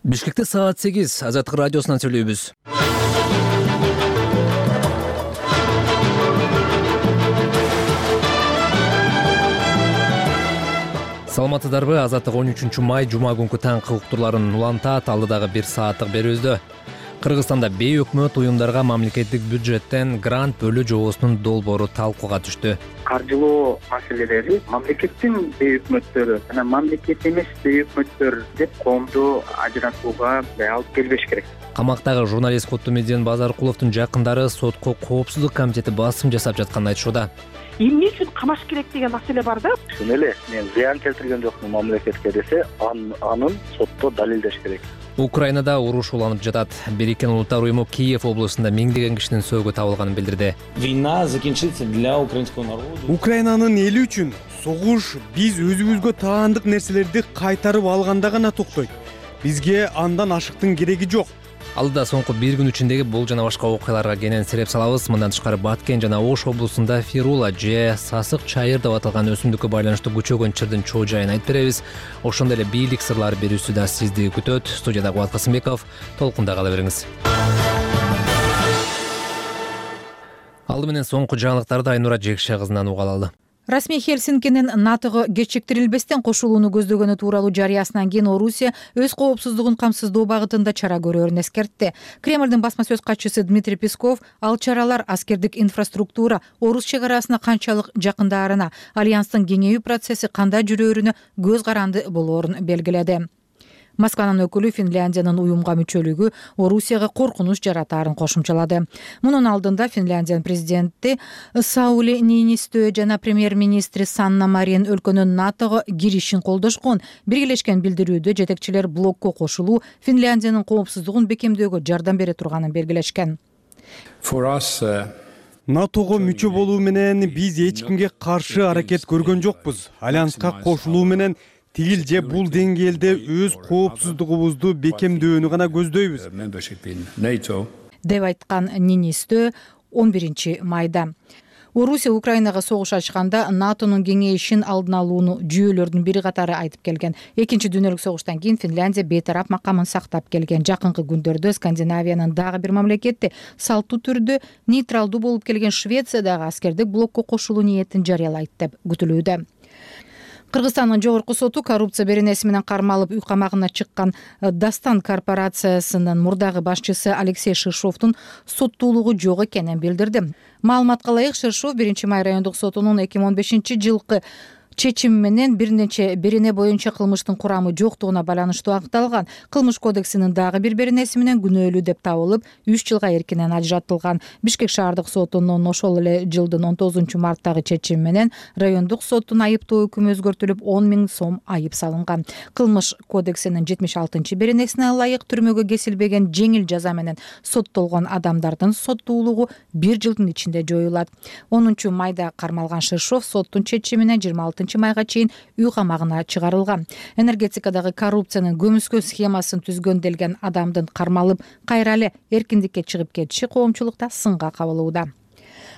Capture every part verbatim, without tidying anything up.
Бишкекте саат сегиз Азаттык радиосунан сүйлөйбүз. Саламатсыздарбы? Азаттык он үчүнчү май жума күнкү таңкы уктурларын улантат. Алдыдагы бир сааттык берүүбүздө Кыргызстанда бейөкмөт уюмдарга мамлекеттик бюджеттен грант бөлүү жобосунун долбоору талкууга түштү. Каржылоо маселелери мамлекеттин бейөкмөттөрү жана мамлекет эмес бейөкмөттөр деп коомду ажыратууга алып келбеш керек. Камактагы журналист Куттумедин Базаркуловдун жакындары сотко коопсуздук комитети басым жасап жатканын айтышууда. Эмне үчүн камаш керек деген маселе бар да. Чын эле мен зыян келтирген жокмун мамлекетке десе, анын сотто далилдеш керек. Украинада уруш уланып жатат. Бириккен Улуттар уюму Киев облусунда миңдеген кишинин сөөгү табылганын билдирди. Война закінчиться для украинского народа. Украинанын эли үчүн согуш биз өзүбүзгө таандык нерселерди кайтарып алганда гана токтойт. Бизге андан ашыктын кереги жок. Алдыда соңку бир күн ичиндеги бул жана башка окуяларга кенен сереп салабыз. Мындан тышкары Баткен жана Ош облусунда фирула же сасык чайыр деп аталган өсүмдүккө байланыштуу күчөгөн чырдын чоо жайын айтып беребиз. Ошондой эле бийлик сырлары берүүсү да сизди күтөт. Студияда Кубат Касымбеков. Толкунда кала бериңиз. Алды менен соңку жаңылыктарды Айнура Жекше кызынан уга алалы. Расмий Хельсинкинин НАТОго кечиктирилбестен кошулууну көздөгөнү тууралуу жарыясынан кийин Орусия өз коопсуздугун камсыздоо багытында чара көрөөрүн эскертти. Кремлдин басма сөз катчысы Дмитрий Песков ал чаралар аскердик инфраструктура Орус чек арасына канчалык жакындарына, альянстын кеңейүү процесси кандай жүрөөрүнө көз каранды болоорун белгиледи. Москванын өкүлү Финляндиянын уюмга мүчөлүгү Орусияга коркунуч жаратаарын кошумчалады. Мунун алдында Финляндиянын президенти Саули Ниинистö жана премьер-министри Санна Марин өлкөнүн НАТОго киришин колдошкон. Биргелешкен билдирүүдө жетекчилер блокко кошулуу Финляндиянын коопсуздугун бекемдөөгө жардам бере турганын белгилешкен. НАТОго мүчө болуу менен биз эч кимге каршы аракет көргөн жокпуз. Альянска кошулуу менен тигил же бул деңгээлде өз коопсуздугубузду бекемдөөнү гана көздөйбүз, деп айткан Ниинистö он биринчи майда. Орусия Украинага согуш ачканда НАТОнун кеңейишин алдын алууну жүйөлөрдүн бири катары айтып келген. Экинчи дүйнөлүк согуштан кийин Финляндия бейтарап макамын сактап келген. Жакынкы күндөрдө Скандинавиянын дагы бир мамлекети салттуу түрдө нейтралдуу болуп келген Швеция дагы аскердик блокко кошулуу ниетин жарыялайт деп күтүлүүдө. Кыргызстандын жогорку соту коррупция беренеси менен кармалып үй камагына чыккан Дастан корпорациясынын мурдагы башчысы Алексей Шишовдун соттуулугу жок экенин билдирди. Маалыматка ылайык, Шишов биринчи май райондук сотунун эки миң он бешинчи жылкы чечими менен бир нече берене боюнча кылмыштын курамы жоктугуна байланыштуу аныкталган. Кылмыш кодексинин дагы бир беренеси менен күнөөлүү деп табылып, үч жылга эркинен ажыратылган. Бишкек шаардык сотунун ошол эле жылдын он тогузунчу марттагы чечими менен райондук соттун айыптоо өкүмү өзгөртүлүп, он миң сом айып салынган. Кылмыш кодексинин жетимиш алтынчы беренесине ылайык түрмөгө кесилбеген жеңил жаза менен соттолгон адамдардын соттуулугу бир жылдын ичинде жоюлат. онунчу майда кармалган Шишов соттун чечимине жыйырма алтынчы майга чейин үй камагына чыгарылган. Энергетикадагы коррупциянын көмүскө схемасын түзгөн делген адамдын кармалып кайра эле эркиндикке чыгып кетиши коомчулукта сынга кабылууда.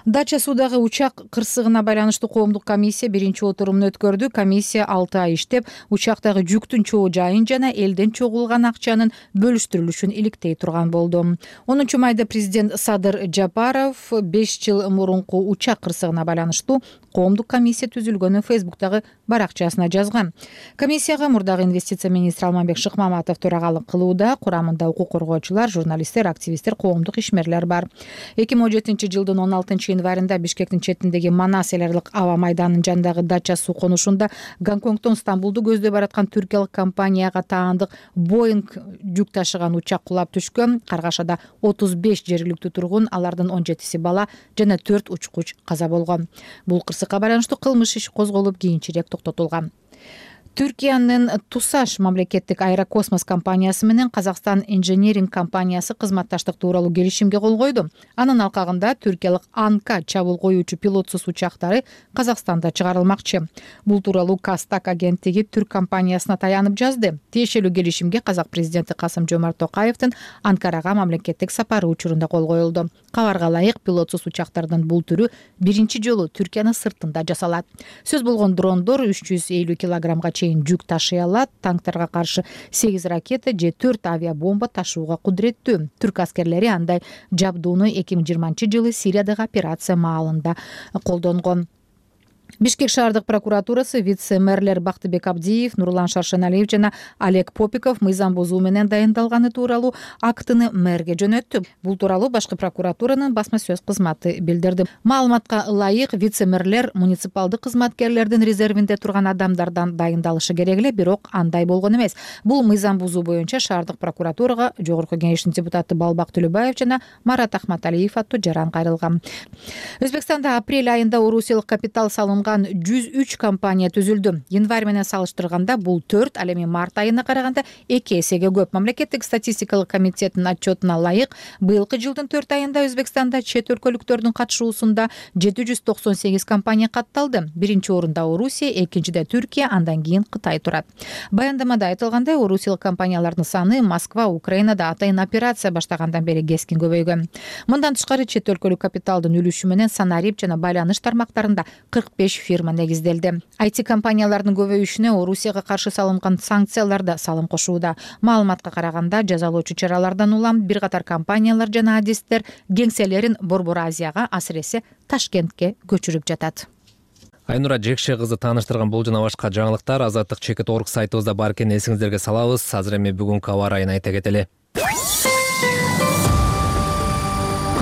Дача суудагы учак кырсыгына байланыштуу коомдук комиссия биринчи отурумун өткөрдү. Комиссия алты ай иштеп, учактагы жүктүн чоо жайын жана элден чогулган акчанын бөлүштүрүлүшүн иликтей турган болду. онунчу майда президент Садыр Жапаров беш жыл мурунку учак кырсыгына байланыштуу коомдук комиссия түзүлгөнүн Фейсбуктагы баракчасына жазган. Комиссияга мурдагы инвестиция министри Алмамбек Шыкмаматов төрагалык кылууда. Курамында укук коргоочулар, журналисттер, активисттер, коомдук ишмерлер бар. эки миң он жетинчи жылдын он алтынчы январында Бишкектин четиндеги Манас эл аралык аба майданынын жанындагы дача суу конушунда Гонконгдон Стамбулду көздөй бараткан түркиялык компанияга таандык Боинг жүк ташыган учак кулап түшкөн. Каргашада отуз беш жергиликтүү тургун, алардын он жетиси бала жана төрт учкуч каза болгон. Бул кырсыкка байланыштуу кылмыш иши козголуп, кийинчерээк токтотулган. Түркиянын Тусаш мамлекеттик аэрокосмос компаниясы менен Казакстан инженеринг компаниясы кызматташтык тууралуу келишимге кол койду. Анын алкагында түркиялык Анка чабуул коюучу пилотсуз учактары Казакстанда чыгарылмакчы. Бул тууралуу Кастак агенттиги түрк компаниясына таянып жазды. Тиешелүү келишимге казак президенти Касым-Жомарт Токаевдин Анкарага мамлекеттик сапары учурунда кол коюлду. Кабарга ылайык, пилотсуз учактардын бул түрү биринчи жолу Түркиянын сыртында жасалат. Сөз болгон дрондор үч жүз элүү килограммга чейин жүк ташый алат, танктарга каршы сегиз ракета же төрт авиабомба ташууга кудуреттүү. Түрк аскерлери андай жабдууну эки миң жыйырманчы жылы Сириядагы операция маалында колдонгон. Бишкек шаардык прокуратурасы вице-мэрлер Бактыбек Абдиев, Нурлан Шаршеналиев жана Олег Попиков мыйзам бузуу менен дайындалганы тууралуу актыны мэрге жөнөттү. Бул тууралуу башкы прокуратуранын басма сөз кызматы билдирди. Маалыматка ылайык, вице-мэрлер муниципалдык кызматкерлердин резервинде турган адамдардан дайындалышы керек эле, бирок андай болгон эмес. Бул мыйзам бузуу боюнча шаардык прокуратурага Жогорку Кеңештин депутаты Балбак Төлөбаев жана Марат Ахматалиев аттуу жаран кайрылган. Өзбекстанда апрель айында орусиялык капитал салынган жүз үч компания түзүлдү. Январь менен салыштырганда бул төрт, ал эми март айына караганда эки эсеге көп. Мамлекеттик статистикалык комитеттин отчетуна ылайык, быйылкы жылдын төрт айында Өзбекстанда чет өлкөлүктөрдүн катышуусунда жети жүз токсон сегиз компания катталды. Биринчи орунда Орусия, экинчиде Түркия, андан кийин Кытай турат. Баяндамада айтылгандай, орусиялык компаниялардын саны Москва, Украинада атайын операция баштагандан бери кескин көбөйгөн. Мындан тышкары чет өлкөлүк капиталдын үлүшү менен санарип жана байланыш тармактарында кырк беш фирма негизделди. ай ти компаниялардын көбөйүшүнө Орусияга каршы салынган санкциялар да салым кошууда. Маалыматка караганда, жазалоочу чаралардан улам бир катар компаниялар жана адистер кеңселерин Борбор Азияга, асыресе Ташкентке көчүрүп жатат. Айнура Жекше кызы тааныштырган бул жана башка жаңылыктар Азаттык чекит орг сайтыбызда бар экенин эсиңиздерге салабыз. Азыр эми бүгүнкү аба ырайын айта кетели.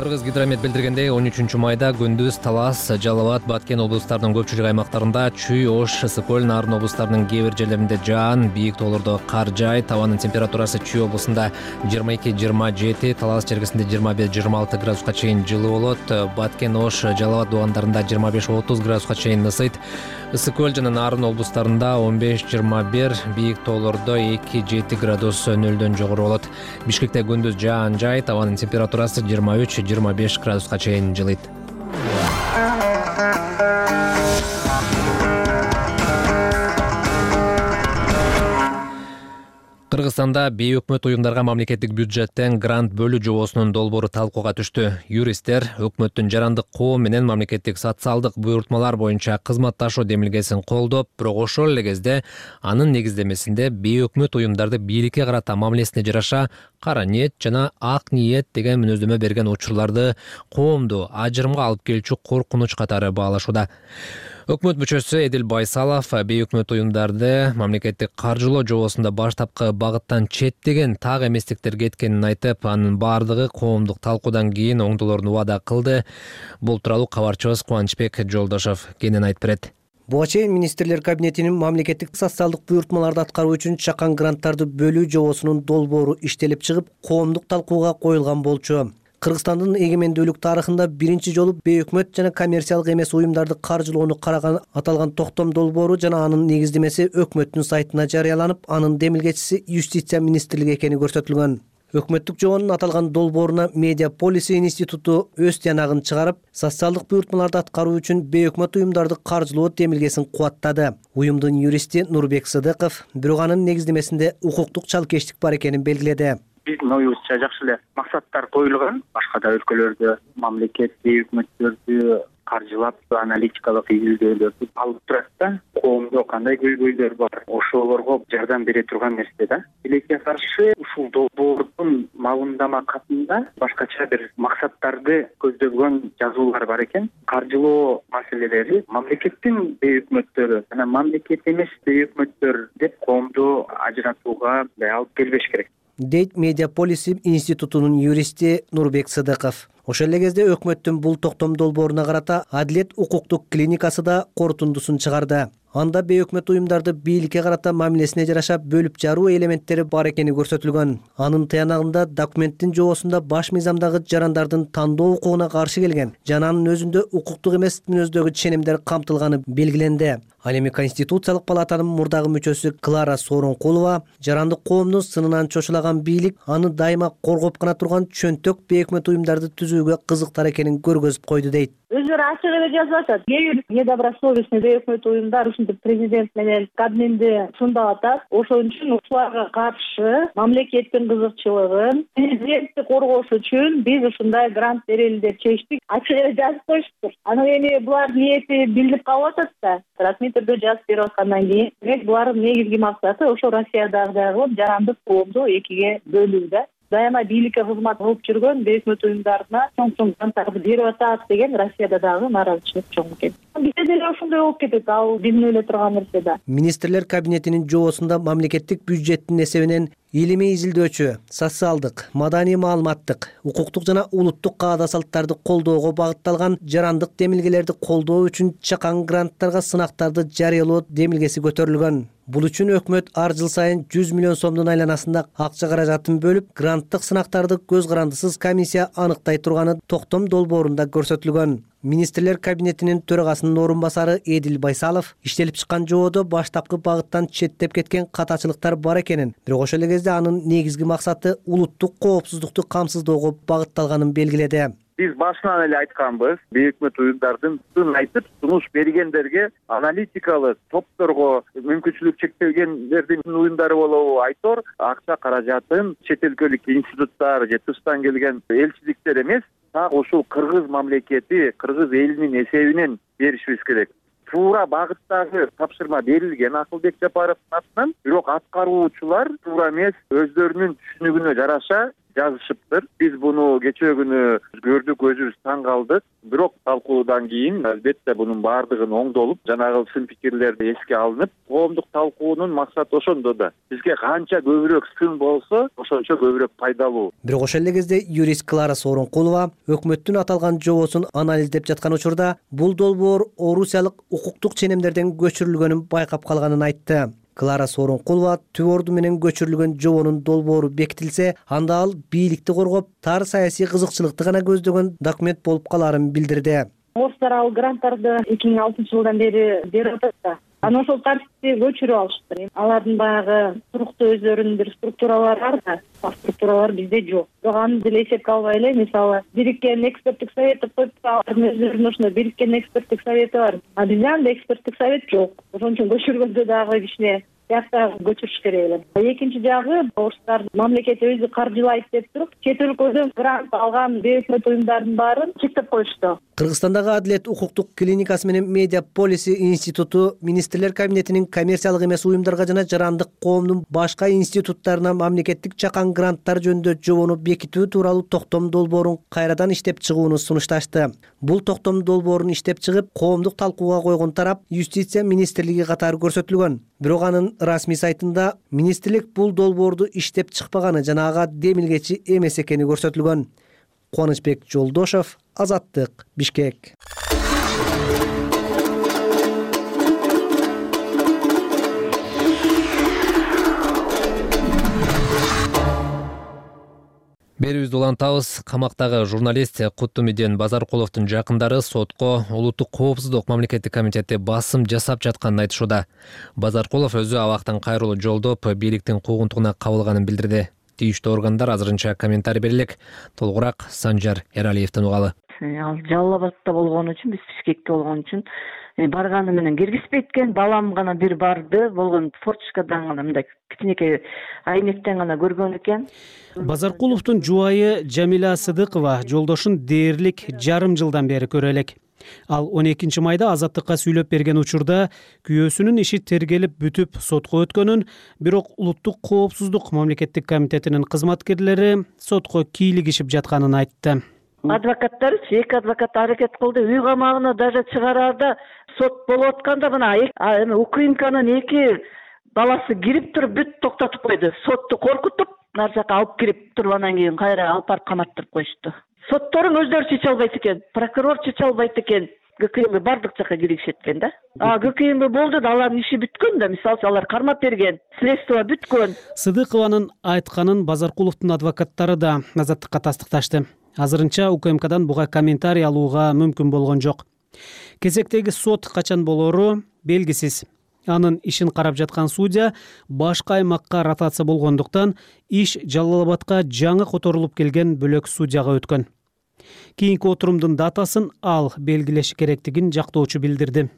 Кыргыз гидромет билдиргендей, он үчүнчү майда күндүз Талас, Жалал Абад, Баткен облустарынын көпчүлүк аймактарында Чүй, Ош, Ысык-Көл, Нарын облустарынын кээ бир жерлеринде жаан, бийик тоолордо кар жай. Табанын температурасы Чүй облусунда жыйырма эки жыйырма жети, Талас чергесинде жыйырма бир жыйырма алты градуска чейин жылуу болот. Баткен, Ош, Жалал Абад дубандарында жыйырма беш отуз градуска чейин ысыйт. Ысык-Көл жана Нарын облустарында он беш жыйырма бир, бийик тоолордо эки жети градус нөлдөн жогору болот. Бишкекте күндүз жаан жай, табанын температурасы жыйырма үч жыйырма беш градуска чейин жылыйт. Кыргызстанда бейөкмөт уюмдарга мамлекеттик бюджеттен грант бөлүү жобосунун долбоору талкууга түштү. Юристтер өкмөттүн жарандык коом менен мамлекеттик социалдык буйртмалар боюнча кызматташуу демилгесин колдоп, бирок ошол эле кезде анын негиздемесинде бейөкмөт уюмдарды бийликке карата мамилесине жараша кара ниет жана ак ниет деген мүнөздөмө берген учурларды коомду ажырымга алып келчү коркунуч катары баалашууда. Өкмөт мүчөсү Эдил Байсалов бейөкмөт уюмдарды мамлекеттик каржылоо жобосунда баштапкы багыттан четтеген так эместиктер кеткенин айтып, анын баардыгы коомдук талкуудан кийин оңдолорун убада кылды. Бул тууралуу кабарчыбыз Кубанычбек Жолдошов кенен айтып берет. Буга чейин министрлер кабинетинин мамлекеттик социалдык буйртмаларды аткаруу үчүн чакан гранттарды бөлүү жобосунун долбоору иштелип чыгып, коомдук талкууга коюлган болчу. Кыргызстандын эгемендүүлүк тарыхында биринчи жолу бейөкмөт жана коммерциялык эмес уюмдарды каржылоону караган аталган токтом долбоору жана анын негиздемеси өкмөттүн сайтына жарыяланып, анын демилгечиси Юстиция министрлиги экени көрсөтүлгөн. Өкмөттүк жобонун аталган долбооруна Медиа Полиси институту өз тыянагын чыгарып, социалдык буйртмаларды аткаруу үчүн бейөкмөт уюмдарды каржылоо демилгесин кубаттады. Уюмдун юристи Нурбек Сыдыков бирок анын негиздемесинде укуктук чалкештик бар экенин белгиледи. Биздин оюбузча жакшы эле максаттар коюлган. Башка да өлкөлөрдө мамлекет бейөкмөттөрдү каржылап, аналитикалык изилдөөлөрдү алып турат да, коомдо кандай көйгөйлөр бар, ошолорго жардам бере турган нерсе да. Билекке каршы ушул долбоордун мамилдама катында башкача бир максаттарды көздөгөн жазуулар бар экен. Каржылоо маселелери мамлекеттин бейөкмөттөрү жана мамлекет эмес бейөкмөттөр деп коомду ажыратууга алып келбеш керек, дейт Медиа Полиси институтунун юристи Нурбек Сыдыков. Ошол эле кезде өкмөттүн бул токтом долбооруна карата Адилет укуктук клиникасы да корутундусун чыгарды. Анда бейөкмөт уюмдарды бийликке карата мамилесине жараша бөлүп жаруу элементтери бар экени көрсөтүлгөн. Анын тыянагында документтин жобосунда баш мыйзамдагы жарандардын тандоо укугуна каршы келген жана анын өзүндө укуктук эмес мүнөздөгү ченемдер камтылганы белгиленди. Ал эми Конституциялык палатанын мурдагы мүчөсү Клара Сооронкулова жарандык коомду сынынан чочулаган бийлик аны дайыма коргоп гана турган чөнтөк бейөкмөт уюмдарды түзүүгө кызыктар экенин көргөзүп койду дейт. Өзүлөрү ачык эле жазып атат. Кээ бир недобросовестный бейөкмөт уюмдар ушундай ушинтип президент менен кабминди сындап атат. Ошон үчүн ушуларга каршы мамлекеттин кызыкчылыгын президентти коргош үчүн биз ушундай грант берели деп чечтик. Ачык эле жазып коюштур. Анан эми булар ниети билинип калып атат да. Расмий түрдө жазып берип аткандан кийин, демек булардын негизги максаты ошо Россиядагы жарандык коомду экиге бөлүү да. Дайыма бийликке кызмат кылып жүргөн өкмөт уюмдарына чоң чоң гранттарды берип атат деген Россияда дагы нааразычылык чоң экен. Бизде деле ошондой болуп кетет, ал биздин ойлой турган нерсе да. Министрлер кабинетинин жобосунда мамлекеттик бюджеттин эсебинен илимий изилдөөчү, социалдык, маданий маалыматтык, укуктук жана улуттук каада салттарды колдоого багытталган жарандык демилгелерди колдоо үчүн чакан гранттарга сынактарды жарыялоо демилгеси көтөрүлгөн. Бул үчүн өкмөт ар жыл сайын жүз миллион сомдун айланасында акча каражатын бөлүп, гранттык сынактарды көз карандысыз комиссия аныктай турганы токтом долбоорунда көрсөтүлгөн. Министрлер кабинетинин төрагасынын орун басары Эдил Байсалов иштелип чыккан жободо баштапкы багыттан четтеп кеткен катачылыктар бар экенин, бирок ошол эле кезде анын негизги максаты улуттук коопсуздукту камсыздоого багытталганын белгиледи. Биз башынан эле айтканбыз, өкмөт уюмдардын сын айтып, сунуш бергендерге аналитикалык топторго мүмкүнчүлүк чектелгендердин уюмдары болобу айтор, акча каражатын чет өлкөлүк институттар же тыштан келген элчиликтер эмес, так ушул кыргыз мамлекети, кыргыз элинин эсебинен беришибиз керек. Туура багыттагы тапшырма берилген Акылбек Жапаровдун атынан, бирок аткаруучулар туура эмес, өздөрүнүн түшүнүгүнө жараша жазышыптыр. Биз буну кечээ күнү көрдүк, өзүбүз таң калдык. Бирок талкуудан кийин албетте бунун баардыгын оңдолуп, жанагы сын пикирлерди эске алынып, коомдук талкуунун максаты ошондо да. Бизге канча көбүрөөк сын болсо, ошончо көбүрөөк пайдалуу. Бирок ошол эле кезде юрист Клара Сооронкулова өкмөттүн аталган жобосун анализдеп жаткан учурда бул долбоор орусиялык укуктук ченемдерден көчүрүлгөнүн байкап калганын айтты. Клара Сооронкулова түп орду менен көчүрүлгөн жобонун долбоору бекитилсе, анда ал бийликти коргоп, тар саясий кызыкчылыкты гана көздөгөн документ болуп каларын билдирди. Орустар ал гранттарды эки миң алтынчы жылдан бери берип атат да. Анан ошол тартипти көчүрүп алыштыр. Алардын баягы туруктуу өздөрүнүн бир структуралары бар да, ал структуралар бизде жок. Бирок аны деле эсепке албай эле, мисалы, бириккен эксперттик совет деп коюп, алардын өздөрүнүн ошондой бириккен эксперттик совети бар. А бизде андай эксперттик совет жок. Ошон үчүн көчүргөндө дагы кичине сыяктаа көчүрүш керек эле. Экинчи жагы, орустар мамлекет өзү каржылайт деп туруп, чет өлкөдөн грант алган өкмөт уюмдардын баарын чектеп коюшту. Кыргызстандагы Адилет укуктук клиникасы менен Медиа Полиси институту Министрлер кабинетинин коммерциялык эмес уюмдарга жана жарандык коомдун башка институттарына мамлекеттик чакан гранттар жөнүндө жобону бекитүү тууралуу токтом долбоорун кайрадан иштеп чыгууну сунушташты. Бул токтом долбоорун иштеп чыгып, коомдук талкууга койгон тарап Юстиция министрлиги катары көрсөтүлгөн. Бирок анын расмий сайтында министрлик бул долбоорду иштеп чыкпаганы жана ага демилгечи эмес экени көрсөтүлгөн. Кубанычбек Жолдошов, Азаттык, Бишкек. Берүүбүздү улантабыз. Камактагы журналист Куттумиден Базаркуловдун жакындары сотко улуттук коопсуздук мамлекеттик комитети басым жасап жатканын айтышууда. Базаркулов өзү абактан кайрылуу жолдоп, бийликтин куугунтугуна кабылганын билдирди. Тийиштүү органдар азырынча комментарий берелек. Толугураак Санжар Эралиевден угалы. Ал Жалал Абадта болгон үчүн, биз Бишкекте болгон үчүн барганы менен киргизбейт экен. Балам гана бир барды, болгон форточкадан гана мындай кичинекей айнектен гана көргөн экен. Базаркуловдун жубайы Жамиля Сыдыкова жолдошун дээрлик жарым жылдан бери көрө элек. Ал он экинчи майда Азаттыкка сүйлөп берген учурда күйөөсүнүн иши тергелип бүтүп сотко өткөнүн, бирок улуттук коопсуздук мамлекеттик комитетинин кызматкерлери сотко кийлигишип жатканын айтты. Адвокаттар, эки адвокат аракет кылды, үй камагына даже чыгараарда сот болуп атканда мына эми УКМКнын эки баласы кирип туруп бүт токтотуп койду. Сотту коркутуп, нар жака алып кирип туруп анан кийин кайра алып барып каматтырып коюшту. Сотторун өздөрү чече албайт экен, прокурор чече албайт экен. ГКМ бардык жака киришет экен да. А ГКМ болду да, алардын иши бүткөн да, мисалы алар кармап берген, следствие бүткөн. Сыдыкованын айтканын Базаркуловдун адвокаттары да Азаттыкка тастыкташты. Азырынча УКМКдан буга комментарий алууга мүмкүн болгон жок. Кезектеги сот качан болору белгисиз. Анын ишин карап жаткан судья башка аймакка ротация болгондуктан иш Жалал Абадка жаңы которулуп келген бөлөк судьяга өткөн. Кийинки отурумдун датасын ал белгилеши керектигин жактоочу билдирди.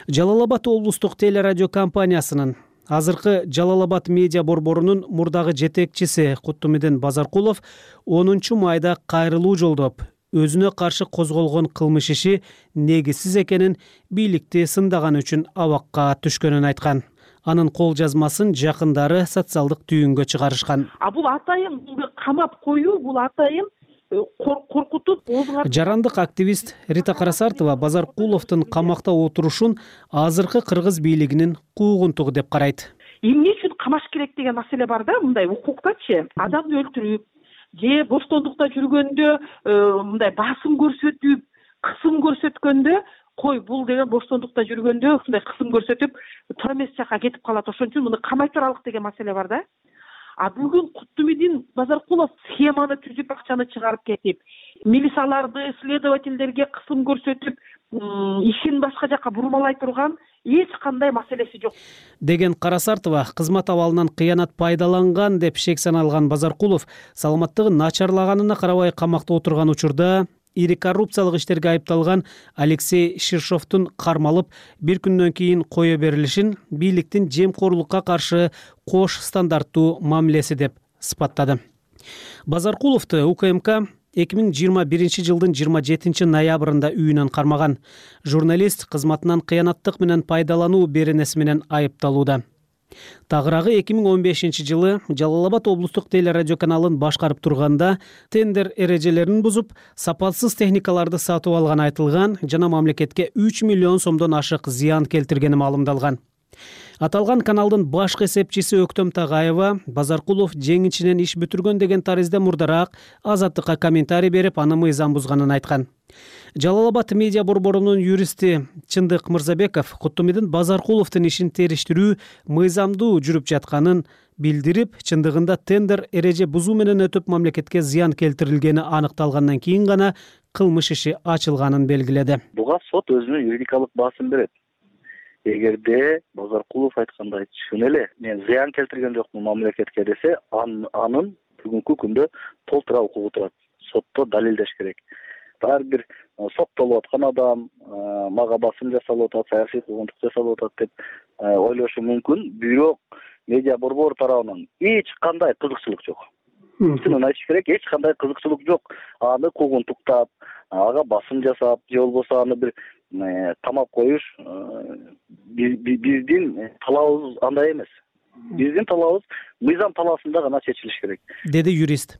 Жалал Абад облустук телерадио компаниясынын азыркы Жалал Абад медиа борборунун мурдагы жетекчиси Куттумидин Базаркулов онунчу майда кайрылуу жолдоп, өзүнө каршы козголгон кылмыш иши негизсиз экенин, бийликти сындаганы үчүн абакка түшкөнүн айткан. Анын кол жазмасын жакындары социалдык түйүнгө чыгарышкан. А бул атайын камап коюу, бул атайын коркутуп оозуңа. Жарандык активист Рита Карасартова Базаркуловдун камакта отурушун азыркы кыргыз бийлигинин куугунтугу деп карайт. Эмне үчүн камаш керек деген маселе бар да, мындай укуктачы. Адамды өлтүрүп, же боштондукта жүргөндө мындай басым көрсөтүп, кысым көрсөткөндө, кой бул деген боштондукта жүргөндө ушундай кысым көрсөтүп, туура эмес жака кетип калат. Ошон үчүн муну камай туралык деген маселе бар да. А бүгүн Куттумидин Базаркулов схеманы түзүп, акчаны чыгарып кетип, милицияларды, следовательдерге кысым көрсөтүп, ишин башка жака бурмалай турган эч кандай маселеси жок деген Карасартова кызмат абалынан кыянат пайдаланган деп шек саналган Базаркулов саламаттыгы начарлаганына карабай камакта отурган учурда ири коррупциялык иштерге айыпталган Алексей Ширшовдун кармалып бир күндөн кийин кое берилишин бийликтин жемкорлукка каршы кош стандарттуу мамилеси деп сыпаттады. Базаркуловду УКМК эки миң жыйырма биринчи жылдын жыйырма жетинчи ноябрында үйүнөн кармаган. Журналист кызматынан кыянаттык менен пайдалануу беренеси менен айыпталууда. Тагыраагы эки миң он бешинчи жылы Жалал Абад облустук телерадио каналын башкарып турганда тендер эрежелерин бузуп, сапатсыз техникаларды сатып алган айтылган жана мамлекетке үч миллион сомдон ашык зыян келтиргени маалымдалган. Аталган каналдын башкы эсепчиси Өктөм Тагаева Базаркулов жеңичинен иш бүтүргөн деген таризде мурдараак Азаттыкка комментарий берип, аны мыйзам бузганын айткан. Жалал Абад медиа борборунун юристи Чындык Мырзабеков Куттумидин Базаркуловдун ишин териштирүү мыйзамдуу жүрүп жатканын билдирип, чындыгында тендер эреже бузуу менен өтүп мамлекетке зыян келтирилгени аныкталгандан кийин гана кылмыш иши ачылганын белгиледи. Буга сот өзүнүн юридикалык баасын берет. Эгерде Базаркулов айткандай чын эле мен зыян келтирген жокмун мамлекетке десе, анын бүгүнкү күндө толтура укугу турат. Сотто далилдеш керек. Ар бир соттолуп аткан адам мага басым жасалып атат, саясий куугунтук жасалып атат деп ойлошу мүмкүн. Бирок медиа борбор тарабынан эч кандай кызыкчылык жок. Чынын айтыш керек, эч кандай кызыкчылык жок. Аны куугунтуктап, ага басым жасап, же болбосо аны бир камап коюш биздин талабыбыз андай эмес. Биздин талабыбыз мыйзам талаасында гана чечилиш керек, деди юрист.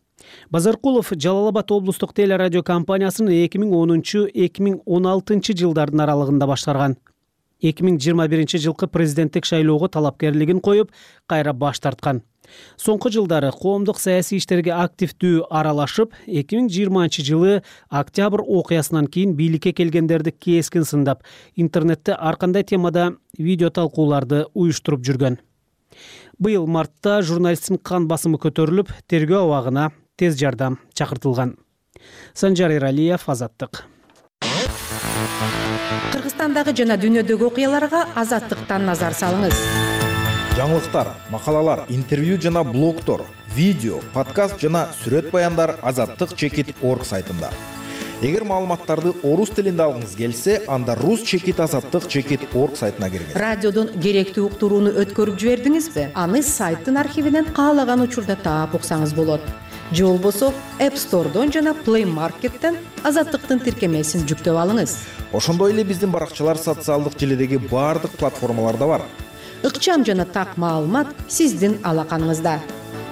Базаркулов Жалал Абад облустук телерадио компаниясын эки миң онунчу — эки миң он алтынчы жылдардын аралыгында башкарган. эки миң жыйырма биринчи жылкы президенттик шайлоого талапкерлигин коюп, кайра баш тарткан. Соңку жылдары коомдук саясий иштерге активдүү аралашып, эки миң жыйырманчы жылы октябрь окуясынан кийин бийликке келгендерди кескин сындап, интернетте ар кандай темада видео талкууларды уюштуруп жүргөн. Быйыл мартта журналисттин кан басымы көтөрүлүп, тергөө абагына тез жардам чакыртылган. Санжар Иралиев, Азаттык. Кыргызстандагы жана дүйнөдөгү окуяларга Азаттыктан назар салыңыз. Жаңылыктар, макалалар, интервью жана блогтор, видео, подкаст жана сүрөт баяндар азаттык чекит точка орг сайтында. Эгер маалыматтарды орус тилинде алгыңыз келсе, анда рус чекит азаттык чекит точка орг сайтына киргиз. Радиодон керектүү уктурууну өткөрүп жибердиңизби? Аны сайттын архивинен каалаган учурда таап уксаңыз болот. Же болбосо App Store'дон жана Play Market'тен Азаттыктын тиркемесин жүктөп алыңыз. Ошондой эле биздин баракчалар социалдык желидеги баардык платформаларда бар. Ыкчам жана так маалымат сиздин алаканыңызда.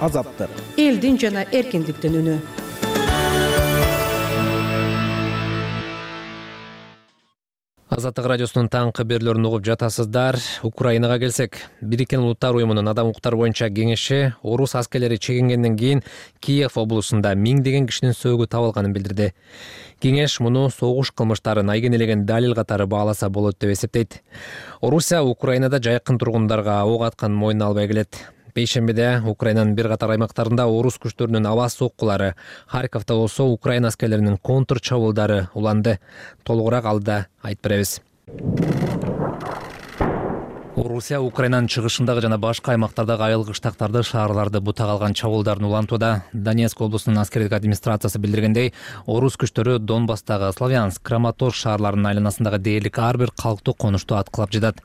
Азаттык. Элдин жана эркиндиктин үнү. Азаттык радиосунун таңкы берүүлөрүн угуп жатасыздар. Украинага келсек, Бириккен Улуттар уюмунун адам укуктары боюнча кеңеши орус аскерлери чегингенден кийин Киев облусунда миңдеген кишинин сөөгү табылганын билдирди. Кеңеш муну согуш кылмыштарын айгинелеген далил катары бааласа болот деп эсептейт. Орусия Украинада жайкын тургундарга ок атканын мойнуна албай келет. Бейшембиде Украинанын бир катар аймактарында орус күчтөрүнүн аба соккулары, Харьковдо болсо Украина аскерлеринин контр чабуулдары уланды. Толугураак алда айтып беребиз. Орусия Украинанын чыгышындагы жана башка аймактардагы айыл кыштактарды, шаарларды бутак алган чабуулдарын улантууда. Донецк облусунун аскердик администрациясы билдиргендей, орус күчтөрү Донбасстагы Славянск, Краматорск шаарларынын айланасындагы дээрлик ар бир калктуу конушту аткылап жатат.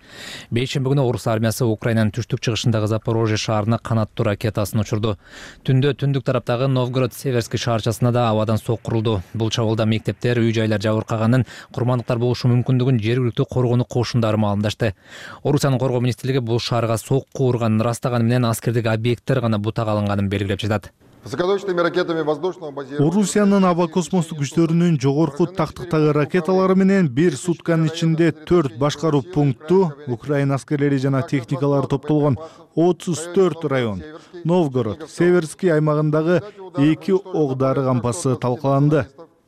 Бейшемби күнү орус армиясы Украинанын түштүк чыгышындагы Запорожье шаарына канаттуу ракетасын учурду. Түндө түндүк тараптагы Новгород-Северский шаарчасына да абадан сок курулду. Бул чабуулда мектептер, үй-жайлар жабыркаганын, курмандыктар болушу мүмкүндүгүн жергиликтүү коргонуу кошундары маалымдашты. Орусиянын коргоо министрлиги бул шаарга сокку урганын ырастаганы менен аскердик объекттер гана бутак алынганын белгилеп жатат. Орусиянын аба космостук күчтөрүнүн жогорку тактыктагы ракеталары менен бир сутканын ичинде төрт башкаруу пункту Украина аскерлери жана техникалары топтолгон отуз төрт район, Новгород, Северский аймагындагы эки ок дары кампасы талкаланды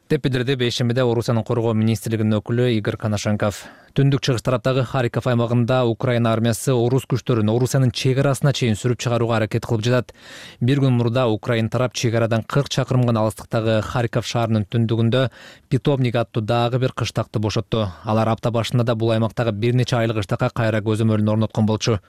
деп билдирди бейшембиде Орусиянын коргоо министрлигинин өкүлү Игорь Коношенков. Түндүк чыгыш тараптагы Харьков аймагында Украина армиясы орус күчтөрүн Орусиянын чек арасына чейин сүрүп чыгарууга аракет кылып жатат. Бир күн мурда Украина тарап чек арадан кырк чакырым гана алыстыктагы Харьков шаарынын түндүгүндө Питомник аттуу дагы бир кыштакты бошотту. Алар апта башында да бул аймактагы бир нече айыл кыштакка кайра көзөмөлүн орноткон болчу.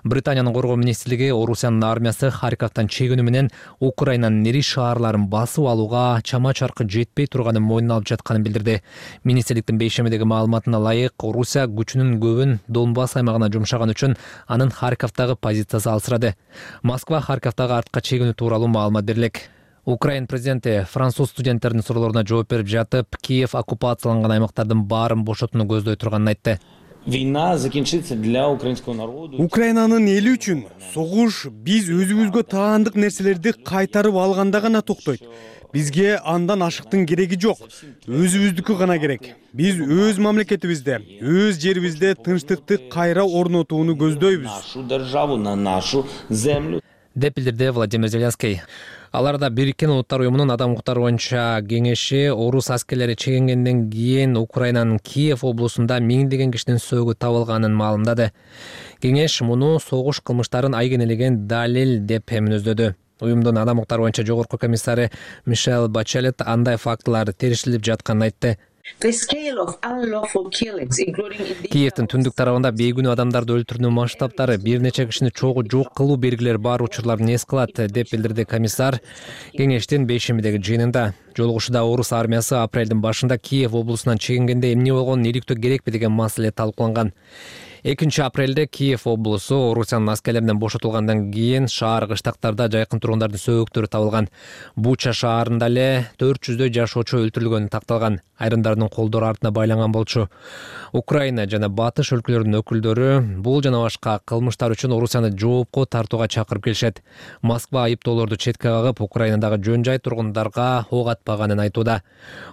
Британиянын коргоо министрлиги Орусиянын армиясы Харьковдон чегүүнү менен Украинанын ири шаарларын басып алууга чама чаркы жетпей турганын мойнуна алып жатканын билдирди. Министрликтин бейшембидеги маалыматына ылайык, Орусия күчүнүн көбүн Донбасс аймагына жумшаган үчүн анын Харьковдагы позициясы алсырады. Москва Харьковдагы артка чегүүнү тууралуу маалымат берилек. Украин президенти француз студенттердин суроолоруна жооп берип жатып, Киев оккупацияланган аймактардын баарын бошотууну көздөй турганын айтты. Война закінчиться для украинского народу. Украинанын эли үчүн согуш биз өзүбүзгө таандык нерселерди кайтарып алганда гана токтойт. Бизге андан ашыктын кереги жок. Өзүбүздүкү гана керек. Биз өз мамлекетибизде, өз жерибизде тынчтыкты кайра орнотууну көздөйбүз. Нашу державу, на нашу землю. Деп билдирди Владимир Зеленский. Аларда Бириккен Улуттар уюмунун адам укуктары боюнча кеңеши орус аскерлери чегингенден кийин Украинанын Киев облусунда миңдеген кишинин сөөгү табылганын маалымдады. Кеңеш муну согуш кылмыштарын айгинелеген далил деп мүнөздөдү. Уюмдун адам укуктары боюнча жогорку комиссары Мишель Бачелет андай фактылар териштирилип жатканын айтты. Киевдин түндүк тарабында бейгүнүү адамдарды өлтүрүүнүн масштабтары, бир нече кишини чогуу жок кылуу белгилери бар учурларын эс кылат, деп билдирди комиссар кеңештин бейшембидеги жыйынында. Жолугушууда орус армиясы апрелдин башында Киев облусунан чегингенде эмне болгонун иликтөө керекпи деген маселе талкууланган. экинчи апрелде Киев облусу Орусиянын аскерлеринен бошотулгандан кийин шаар кыштактарда жайкын тургундардын сөөгүктөрү табылган. Буча шаарында эле төрт жүздөй жашоочу өлтүрүлгөнү такталган. Айрымдарынын колдору артына байланган болчу. Украина жана батыш өлкөлөрүнүн өкүлдөрү бул жана башка кылмыштар үчүн Орусияны жоопко тартууга чакырып келишет. Москва айыптоолорду четке кагып, Украинадагы жөн жай тургундарга ок атпаганын айтууда.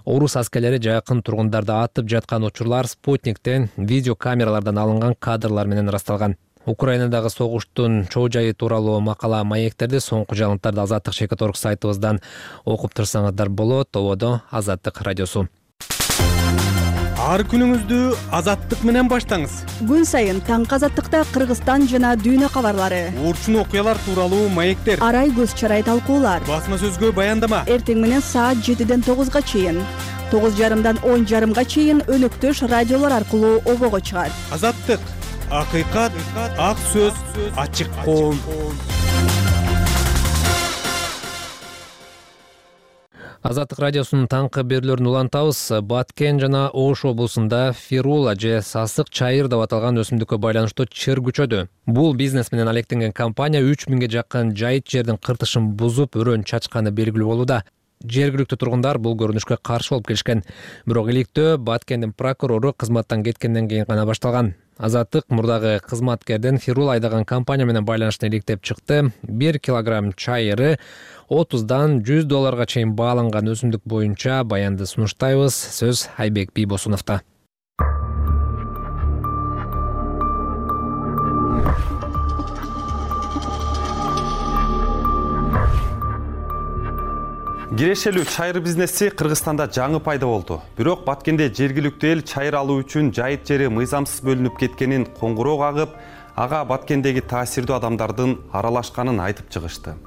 Орус аскерлери жайкын тургундарды атып жаткан учурлар Спутниктен, видео камералардан алынган кадрлар менен ырасталган. Украинадагы согуштун чоо жайы тууралуу макала маектерди соңку жаңылыктарды Азаттык чекит точка орг сайтыбыздан окуп турсаңыздар болот. Тободо Азаттык радиосу. Ар күнүңүздү Азаттык менен баштаңыз. Күн сайын таңкы Азаттыкта Кыргызстан жана дүйнө кабарлары, урчун окуялар тууралуу маектер, арай көз чарай талкуулар, басма сөзгө баяндама. Эртең менен саат жетиден тогузга чейин, тогуз жарымдан он жарымга чейин өнөктөш радиолор аркылуу обого чыгат. Азаттык, акыйкат, ак сөз, ачык коом. Азаттык радиосунун таңкы берүүлөрүн улантабыз. Баткен жана Ош облусунда фирула же сасык чайыр деп аталган өсүмдүккө байланыштуу чыр күчөдү. Бул бизнес менен алектенген компания үч миңге жакын жайыт жердин кыртышын бузуп, өрөөн чачканы белгилүү болууда. Жергиликтүү тургундар бул көрүнүшкө каршы болуп келишкен. Бирок иликтөө Баткендин прокурору кызматтан кеткенден кийин гана башталган. Азаттык мурдагы кызматкердин фирула айдаган компания менен байланыштын иликтеп чыкты. бир килограмм чайыры отуздан жүз долларга чейин бааланган өсүмдүк боюнча баянды сунуштайбыз. Сөз Айбек Бийбосуновдо. Кирешелүү чайыр бизнеси Кыргызстанда жаңы пайда болду. Бирок Баткенде жергиликтүү эл чайыр алуу үчүн жайыт жери мыйзамсыз бөлүнүп кеткенин коңгуроо кагып, ага Баткендеги таасирдүү адамдардын аралашканын айтып чыгышты.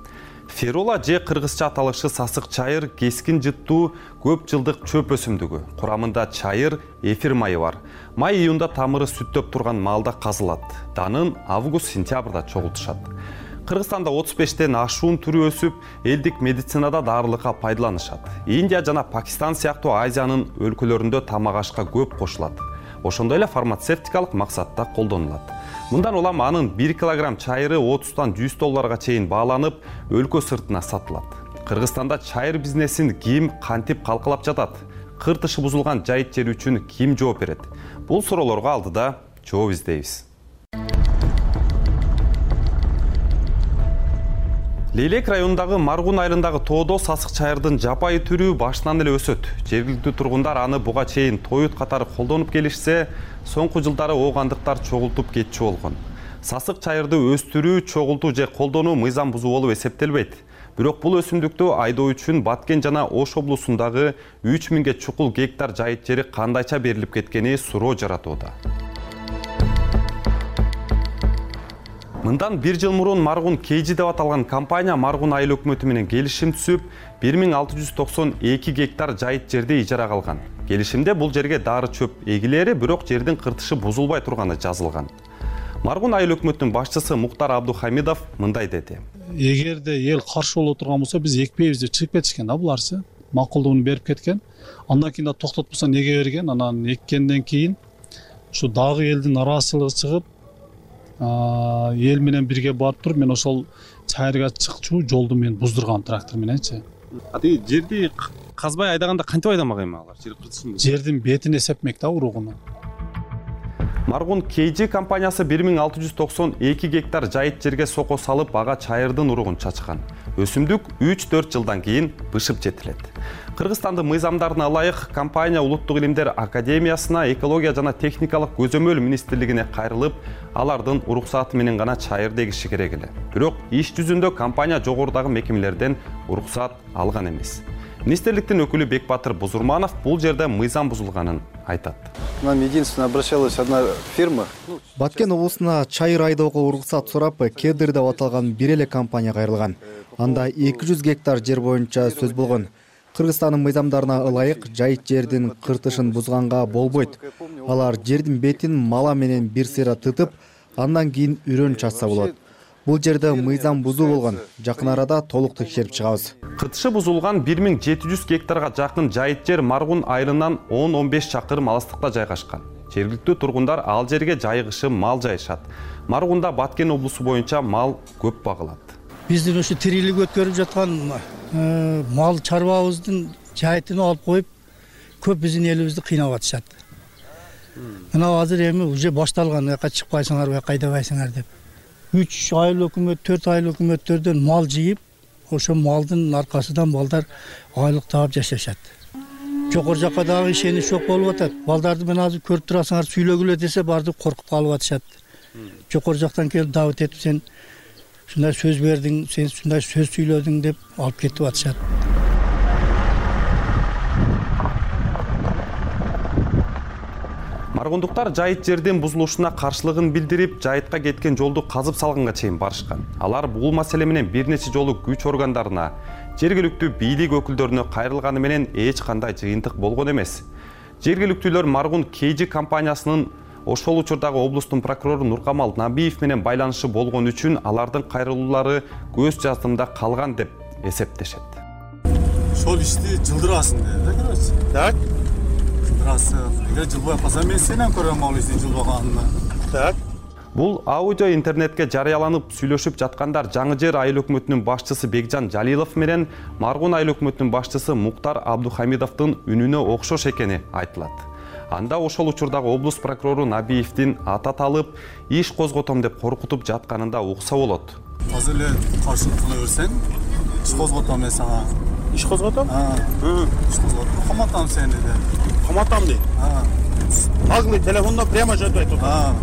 Ферула же кыргызча аталышы сасык чайыр кескин жыттуу көп жылдык чөп өсүмдүгү. Курамында чайыр, эфир майы бар. Май июнда тамыры сүттөп турган маалда казылат. Данын август-сентябрда чогултушат. Кыргызстанда отуз бештен ашуун түрү өсүп, элдик медицинада дарылыкка пайдаланышат. Индия жана Пакистан сыяктуу Азиянын өлкөлөрүндө тамак ашка көп кошулат. Ошондой эле фармацевтикалык максатта колдонулат. Мындан улам анын бир килограмм чайыры отуздан жүз долларга чейин бааланып, өлкө сыртына сатылат. Кыргызстанда чайыр бизнесин ким кантип калкалап жатат? Кыр тышы бузулган жайыт жери үчүн ким жооп берет? Бул суроолорго алдыда жооп издейбиз. Лейлек районундагы Маргун айылындагы тоодо сасык чайырдын жапайы түрү башынан эле өсөт. Жергиликтүү тургундар аны буга чейин тоют катары колдонуп келишсе, соңку жылдары оогандыктар чогултуп кетчү болгон. Сасык чайырды өстүрүү, чогултуу же колдонуу мыйзам бузуу болуп эсептелбейт. Бирок бул өсүмдүктү айдоо үчүн Баткен жана Ош облусундагы үч миңге чукул гектар жайыт жери кандайча берилип кеткени суроо жаратууда. Мындан бир жыл мурун Маргун Кейжи деп аталган компания Маргун айыл өкмөтү менен келишим түзүп, бир миң алты жүз токсон эки гектар жайыт жерди ижарага алган. Келишимде бул жерге дары чөп эгилери, бирок жердин кыртышы бузулбай турганы жазылган. Маргун айыл өкмөтүнүн башчысы Муктар Абдухамидов мындай деди. Эгерде эл каршы боло турган болсо, биз экпейбиз деп чыгып кетишкен да буларчы. Макулдугун берип кеткен. Андан кийин да токтотпосо неге берген? Анан эккенден кийин ушу дагы элдин нараазычылыгы чыгып, эл менен бирге барып туруп, мен ошол чайырга чыкчу жолду мен буздургам трактор мененчи. А тиги жерди казбай айдаганда кантип айдамак эми алар? Жер кыртышын жердин бетин эсепмек да уругуну. Маргун Кейжи компаниясы бир миң алты жүз токсон эки гектар жайыт жерге сокко салып, ага чайырдын уругун чачкан. Өсүмдүк үч төрт жылдан кийин бышып жетилет. Кыргызстандын мыйзамдарына ылайык компания Улуттук илимдер академиясына, экология жана техникалык көзөмөл министрлигине кайрылып, алардын уруксаты менен гана чайыр дегиши керек эле. Бирок иш жүзүндө компания жогорудагы мекемелерден уруксат алган эмес. Министрликтин өкүлү Бекбатыр Бузурманов бул жерде мыйзам бузулганын айтат. Нам единственно обращалась одна фирма. Баткен облусуна чайыр айдоого уруксат сурап, Кедр деп аталган бир эле компания кайрылган. Анда эки жүз гектар жер боюнча сөз болгон. Кыргызстандын мыйзамдарына ылайык жайыт жердин кыртышын бузганга болбойт. Алар жердин бетин мала менен бир сыйра тытып, андан кийин үрөн чачса болот. Бул жерде мыйзам бузуу болгон. Жакын арада толук текшерип чыгабыз. Кыртышы бузулган бир миң жети жүз гектарга жакын жайыт жер Маргун айылынан он он беш чакырым алыстыкта жайгашкан. Жергиликтүү тургундар ал жерге жайгышып мал жайышат. Маргунда Баткен облусу боюнча мал көп багылат. Биздин ушу тирилик өткөрүп жаткан мал чарбабыздын жайытын алып коюп, көп биздин элибизди кыйнап атышат. Мына азыр эми уже башталган, аяка чыкпайсыңар, бияка айдабайсыңар деп. үч айыл өкмөт, төрт айыл өкмөттөрдөн мал жыйып, ошо малдын аркасынан балдар айлык таап жашашат. Жогору жакка дагы ишенич жок болуп атат. Балдарды мен азыр көрүп турасыңар, сүйлөгүлө десе барды коркуп калып атышат. Жогору жактан келип дабыт этип, сен ушундай сөз бердиң, сен ушундай сөз сүйлөдүң деп алып кетип атышат. Маргундуктар жайыт жердин бузулушуна каршылыгын билдирип, жайытка кеткен жолду казып салганга чейин барышкан. Алар бул маселе менен бир нече жолу күч органдарына, жергиликтүү бийлик өкүлдөрүнө кайрылганы менен эч кандай жыйынтык болгон эмес. Жергиликтүүлөр Маргун Кейжи компаниясынын ошол учурдагы облустун прокурору Нуркамал Набиев менен байланышы болгон үчүн алардын кайрылуулары көз жаздымда калган деп эсептешет. Ошол ишти жылдырасың деп, көрөсүң. Так. Эгер жылбай калса, мен сенен көрөм ал ишти жылбаганына. Так. Бул аудио интернетке жарыяланып сүйлөшүп жаткандар Жаңы Жер айыл өкмөтүнүн башчысы Бекжан Жалилов менен Маргун айыл өкмөтүнүн башчысы Муктар Абдухамидовдун үнүнө окшош экени айтылат. Анда ошол учурдагы облус прокурору Набиевдин аты аталып, иш козготом деп коркутуп жатканында укса болот. Азыр эле каршылык кыла берсең, иш козготом мен сага. Иш козготом? А, иш козготом. Каматам сени деп. Каматам дейт. А. Наглый телефондо прямо жетип айтып атат.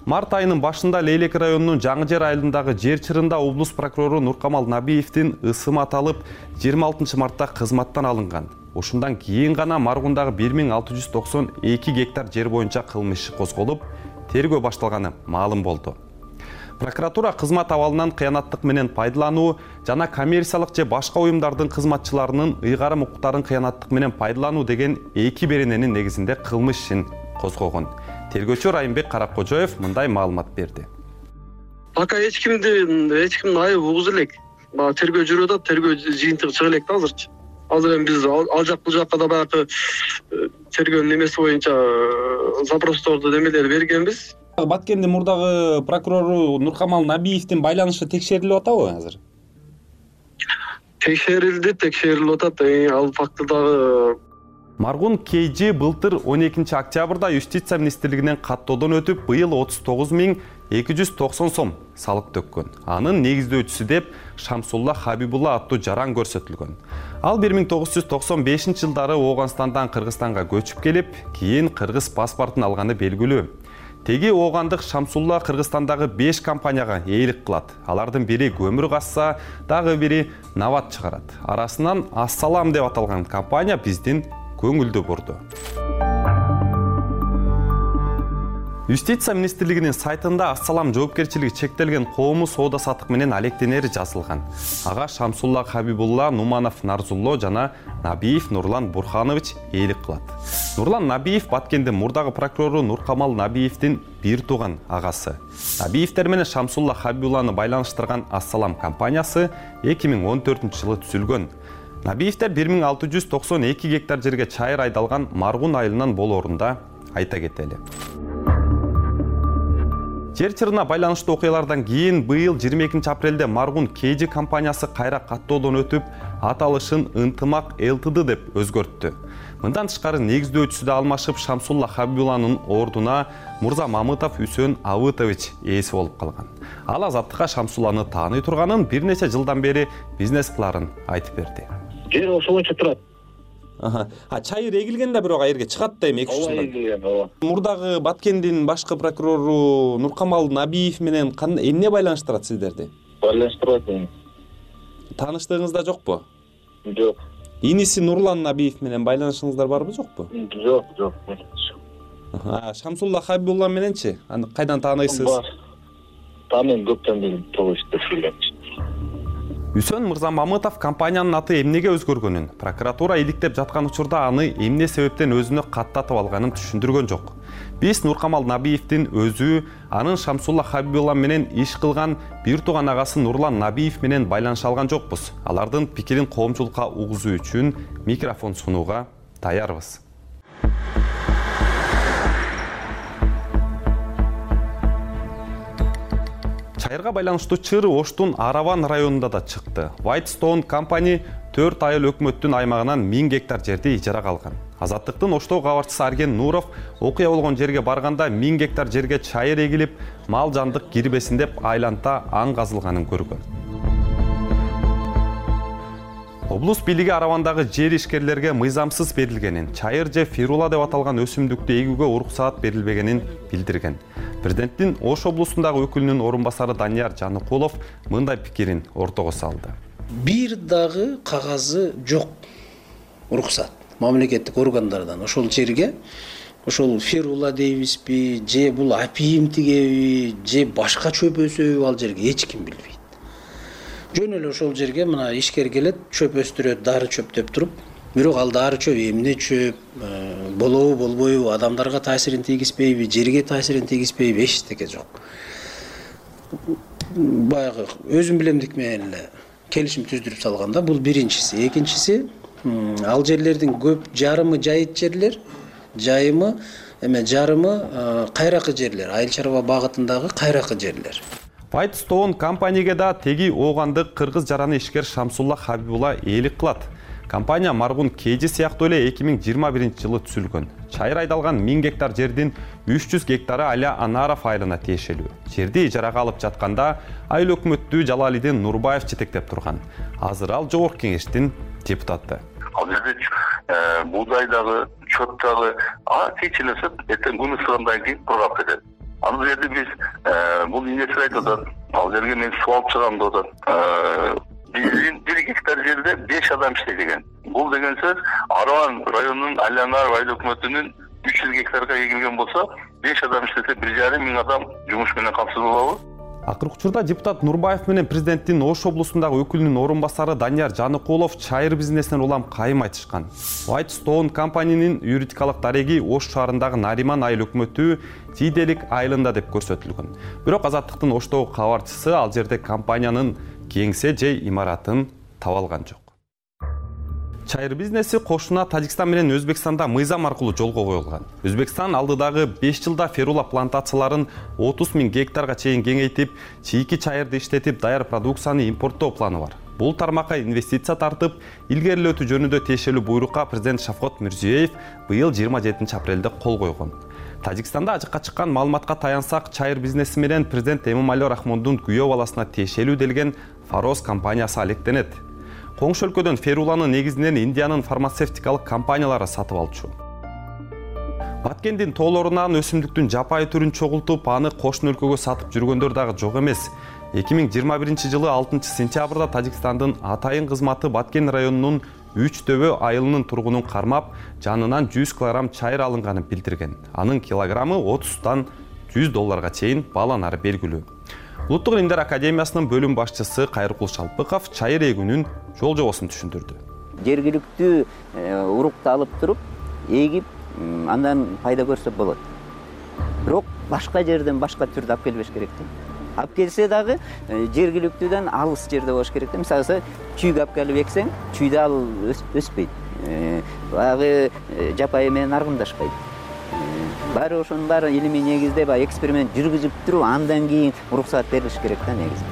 Март айынын башында Лейлек районунун Жаңы Жер айылындагы жер чырында облус прокурору Нуркамал Набиевдин ысымы аталып, жыйырма алтынчы мартта кызматтан алынган. Ошундан кийин гана Маргундагы бир миң алты жүз токсон эки гектар жер боюнча кылмыш иши козголуп, тергөө башталганы маалым болду. Прокуратура кызмат абалынан кыянаттык менен пайдалануу жана коммерциялык же башка уюмдардын кызматчыларынын ыйгарым укуктарын кыянаттык менен пайдалануу деген эки берененин негизинде кылмыш ишин козгогон. Тергөөчү Райымбек Каракожоев мындай маалымат берди. Пока эч кимди эч кимдин айыбы угуз элек. Баа тергөө жүрүп атат, тергөө жыйынтыгы чыга элек да азырчы. Азыр эми биз ал жак бул жакка да баягы тергөөнүн эмеси боюнча запросторду немелер бергенбиз. Баткендин мурдагы прокурору Нуркамал Набиевдин байланышы текшерилип атабы азыр? Текшерилди, текшерилип атат. Ал факты дагы Маргун Кейжи былтыр он экинчи октябрда Юстиция министрлигинен каттоодон өтүп, быйыл отуз тогуз миң эки жүз токсон сом салык төккөн. Анын негиздөөчүсү деп Шамсулла Хабибулла аттуу жаран көрсөтүлгөн. Ал бир миң тогуз жүз токсон бешинчи жылдары Ооганстандан Кыргызстанга көчүп келип, кийин кыргыз паспортун алганы белгилүү. Теги оогандык Шамсулла Кыргызстандагы беш компанияга ээлик кылат. Алардын бири көмүр казса, дагы бири нават чыгарат. Арасынан Ассалам деп аталган компания биздин көңүлдү бурду. Юстиция министрлигинин сайтында Ассалам жоопкерчилиги чектелген коомдук соода саттык менен алектенери жазылган. Ага Шамсулла Хабибулла, Нуманов Нарзулло жана Набиев Нурлан Бурханович ээлик кылат. Нурлан Набиев Баткендин мурдагы прокурору Нуркамал Набиевдин бир тууган агасы. Набиевдер менен Шамсулла Хабибулланы байланыштырган Ассалам компаниясы эки миң он төртүнчү жылы түзүлгөн. Набиевдер бир миң алты жүз токсон эки гектар жерге чайыр айдалган Маргун айылынан болоорунда айта кетели. Жер чырына байланыштуу окуялардан кийин быйыл жыйырма экинчи апрелде Маргун Кейжи компаниясы кайра каттоодон өтүп, аталышын Ынтымак ЛТД деп өзгөрттү. Мындан тышкары негиздөөчүсү да алмашып, Шамсулла Хабибулланын ордуна Мурза Мамытов Үсөн Абытович ээси болуп калган. Ал азаттыкка Шамсулланы тааный турганын бир нече жылдан бери бизнес кыларын айтып берди. Жер ошолончо турат. А чайыр эгилген да бирок айерге чыгат да эми эки үч жылдан. Мурдагы Баткендин башкы прокурору Нуркамал Набиев менен эмне байланыштырат сиздерди? Байланыштырат. Тааныштыгыңызда жокпу? Жок. Иниси Нурлан Набиев менен байланышыңыздар барбы, жокпу? Жок, жок. А Шамсулла Хабибулла мененчи? Аны кайдан тааныйсыз? Бар. Тааныйм, көптөн бери тогуштур. Үсөн Мырза Мамытов компаниянын аты эмнеге өзгөргөнүн, прокуратура иликтеп жаткан учурда аны эмне себептен өзүнө каттатып алганын түшүндүргөн жок. Биз Нуркамал Набиевдин өзү, анын Шамсулла Хабибулла менен иш кылган бир тууган агасы Нурлан Набиев менен байланыша алган жокпуз. Алардын пикирин коомчулукка угузуу үчүн микрофон сунууга даярбыз. Чайырга байланыштуу чыр Оштун Араван районунда да чыкты. Whitestone компани төрт айыл өкмөттүн аймагынан миң гектар жерди ижарага алган. Азаттыктын Оштоо кабарчысы Арген Нуров окуя болгон жерге барганда миң гектар жерге чайыр эгилип, мал жандык кирбесин деп айланта аң казылганын көргөн. Облус бийлиги Аравандагы жер ишкерлерге мыйзамсыз берилгенин, чайыр же фирула деп аталган өсүмдүктү эгүүгө уруксаат берилбегенин билдирген. Президенттин Ош облусундагы өкүлүнүн орун басары Данияр Жаныкулов мындай пикирин ортого салды. Бир дагы кагазы жок уруксат мамлекеттик органдардан ошол жерге, ошол фирула дейбизби, же бул апийим тигеби, же башка чөп өсөбү ал жерге эч ким билбейт. Жөн эле ошол жерге мына ишкер келет, чөп өстүрөт, дары чөп деп туруп, бирок ал дары чөп эмне чөп, болобу болбойбу, адамдарга таасирин тийгизбейби, жерге таасирин тийгизбейби, эчтеке жок. Баягы өзүм билемдик менен эле келишим түздүрүп салганда, бул биринчиси. Экинчиси, ал жерлердин көп жарымы жайыт жерлер, жайымы эме жарымы кайракы жерлер, айыл чарба багытындагы кайракы жерлер. Whitestone компанияга да теги оогандык кыргыз жараны ишкер Шамсулла Хабибулла ээлик кылат. Компания Маргун Кейжи сыяктуу эле эки миң жыйырма биринчи жылы түзүлгөн. Чайыр айдалган миң гектар жердин үч жүз гектары Аля Анаров айылына тиешелүү. Жерди ижарага алып жатканда айыл өкмөттү Жалалидин Нурбаев жетектеп турган. Азыр ал жогорку кеңештин депутаты. Ал жерде буудай дагы, чөп дагы, а кечилесе эртең күн ысыгандан кийин кургап кетет. Ал жерде биз бул инвестор айтып атат, ал жерге мен суу алып чыгам деп атат. Биздин бир гектар жерде беш адам иштейт экен. Бул деген сөз Араван районунун Алянар айыл өкмөтүнүн үч жүз гектарга эгилген болсо, беш адам иштесе бир жарым миң адам жумуш менен камсыз болобу? Акыркы учурда депутат Нурбаев менен президенттин Ош облусундагы өкүлүнүн орун басары Данияр Жаныкулов чайыр бизнесинен улам кайым айтышкан. White Stone компаниянын юридикалык дареги Ош шаарындагы Нариман айыл өкмөтү Жийделик айылында деп көрсөтүлгөн. Бирок Азаттыктын Оштогу кабарчысы ал жерде компаниянын кеңсе же имаратын таба алган жок. Чайыр бизнеси кошуна Тажикстан менен Өзбекстанда мыйзам аркылуу жолго коюлган. Өзбекстан алдыдагы беш жылда ферула плантацияларын отуз миң гектарга чейин кеңейтип, чийки чайырды иштетип, даяр продукцияны импорттоо планы бар. Бул тармакка инвестиция тартып, илгерилетүү жөнүндө тиешелүү буйрукка президент Шавкат Мирзиёев быйыл жыйырма жетинчи апрелде кол койгон. Тажикстанда ажыкка чыккан маалыматка таянсак, чайыр бизнеси менен президент Эмомали Рахмондун күйөө баласына тиешелүү делген Фароз компаниясы алектенет. Коңшу өлкөдөн феруланы негизинен Индиянын фармацевтикалык компаниялары сатып алчу. Баткендин тоолорунан өсүмдүктүн жапайы түрүн чогултуп, аны кошун өлкөгө сатып жүргөндөр дагы жок эмес. эки миң жыйырма биринчи жылы алтынчы сентябрда Тажикстандын Атайын кызматы Баткен районунун Үч Төбө айылынын тургунун кармап, жанынан жүз килограмм чайыр алынганын билдирген. Анын килограммы отуздан жүз долларга чейин бааланары белгилүү. Улуттук илимдер академиясынын бөлүм башчысы Кайркул Шалпыков чайыр эгүүнүн жол жобосун түшүндүрдү. Жергиликтүү урукту алып туруп, эгип, андан пайда көрсө болот. Бирок башка жерден башка түрдү алып келбеш керек да. Алып келсе дагы жергиликтүүдөн алыс жерде болуш керек да. Мисалы, чүйгү алып келип эксең, чүйдө ал өспөйт. Багы жапайы менен аргымдашпайт. Баары ошонун баары илимий негизде баягы эксперимент жүргүзүп туруп, андан кийин уруксат берилиш керек да негизи.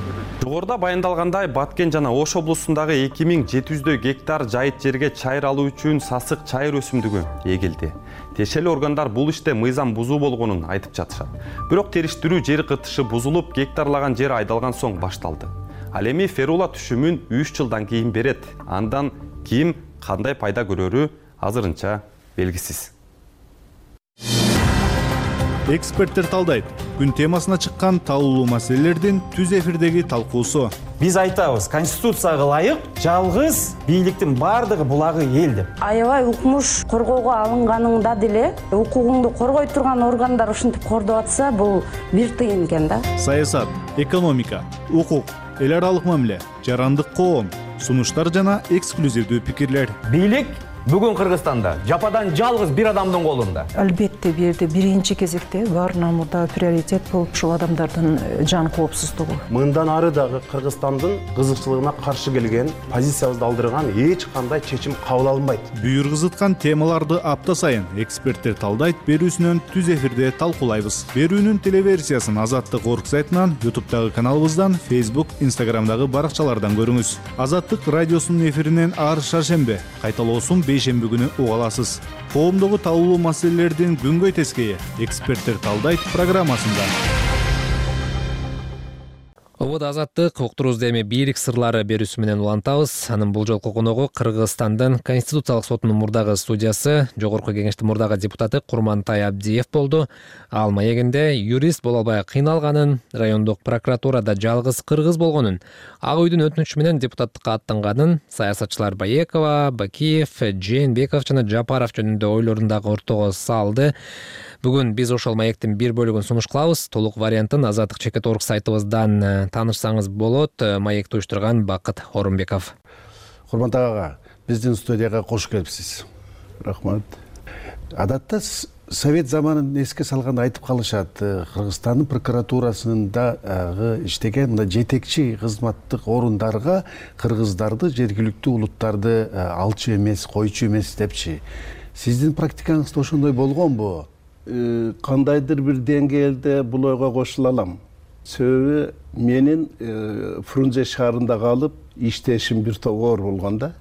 Жогоруда баяндалгандай, Баткен жана Ош облусундагы эки миң жети жүздөй гектар жайыт жерге чайыр алуу үчүн сасык чайыр өсүмдүгү эгилди. Тиешелүү органдар бул иште мыйзам бузуу болгонун айтып жатышат. Бирок териштирүү жер кытышы бузулуп, гектарлаган жер айдалган соң башталды. Ал эми ферула түшүмүн үч жылдан кийин берет. Андан ким кандай пайда көрөрү азырынча белгисиз. Эксперттер талдайт. Күн темасына чыккан талуулуу маселелердин түз эфирдеги талкуусу. Биз айтабыз, конституцияга ылайык жалгыз бийликтин бардыгы булагы эл деп. Аябай укмуш коргоого алынганыңда деле укугуңду коргой турган органдар ушинтип кордоп атса, бул бир тыйын экен да. Саясат, экономика, укук, эл аралык мамиле, жарандык коом, сунуштар жана эксклюзивдүү пикирлер. Бийлик бүгүн Кыргызстанда жападан жалгыз бир адамдын колунда. Албетте бир жерде биринчи кезекте баарынан мурда приоритет болуп ушул адамдардын жан коопсуздугу. Мындан ары дагы Кыргызстандын кызыкчылыгына каршы келген, позициябызды алдырган эч кандай чечим кабыл алынбайт. Бүйүр кызыткан темаларды апта сайын эксперттер талдайт берүүсүнөн түз эфирде талкуулайбыз. Берүүнүн телеверсиясын Азаттык орг сайтынан, ютубтагы каналыбыздан, Facebook, Instagramдагы баракчалардан көрүңүз. Азаттык радиосунун эфиринен ар шаршембе, кайталоосун бейшемби күнү уга аласыз. Коомдогу талуулуу маселелердин күнгөй тескейи эксперттер талдайт программасында. Обода Азаттык уктуруубузду эми бийлик сырлары берүүсү менен улантабыз. Анын бул жолку коногу Кыргызстандын Конституциялык сотунун мурдагы судьясы, Жогорку Кеңештин мурдагы депутаты Курмантай Абдиев болду. Ал маегинде юрист боло албай кыйналганын, райондук прокуратурада жалгыз кыргыз болгонун, Ак үйдүн өтүнүчү менен депутаттыкка аттанганын, саясатчылар Баекова, Бакиев, Жээнбеков жана Жапаров жөнүндө ойлорун дагы ортого салды. Бүгүн биз ошол маектин бир бөлүгүн сунуш кылабыз. Толук вариантын Азаттык чекит орг сайтыбыздан таанышсаңыз болот. Маекти уюштурган Бакыт Орунбеков. Курмантай ага, биздин студияга кош келипсиз. Рахмат. Адатта совет заманын эске салганда айтып калышат, Кыргызстандын прокуратурасында иштеген мына жетекчи кызматтык орундарга кыргыздарды, жергиликтүү улуттарды алчу эмес, койчу эмес депчи. Сиздин практикаңызда ошондой болгонбу? Кандайдыр бир деңгээлде бул ойго кошула алам. Себеби менин Фрунзе шаарында калып иштешим бир топ оор болгон да.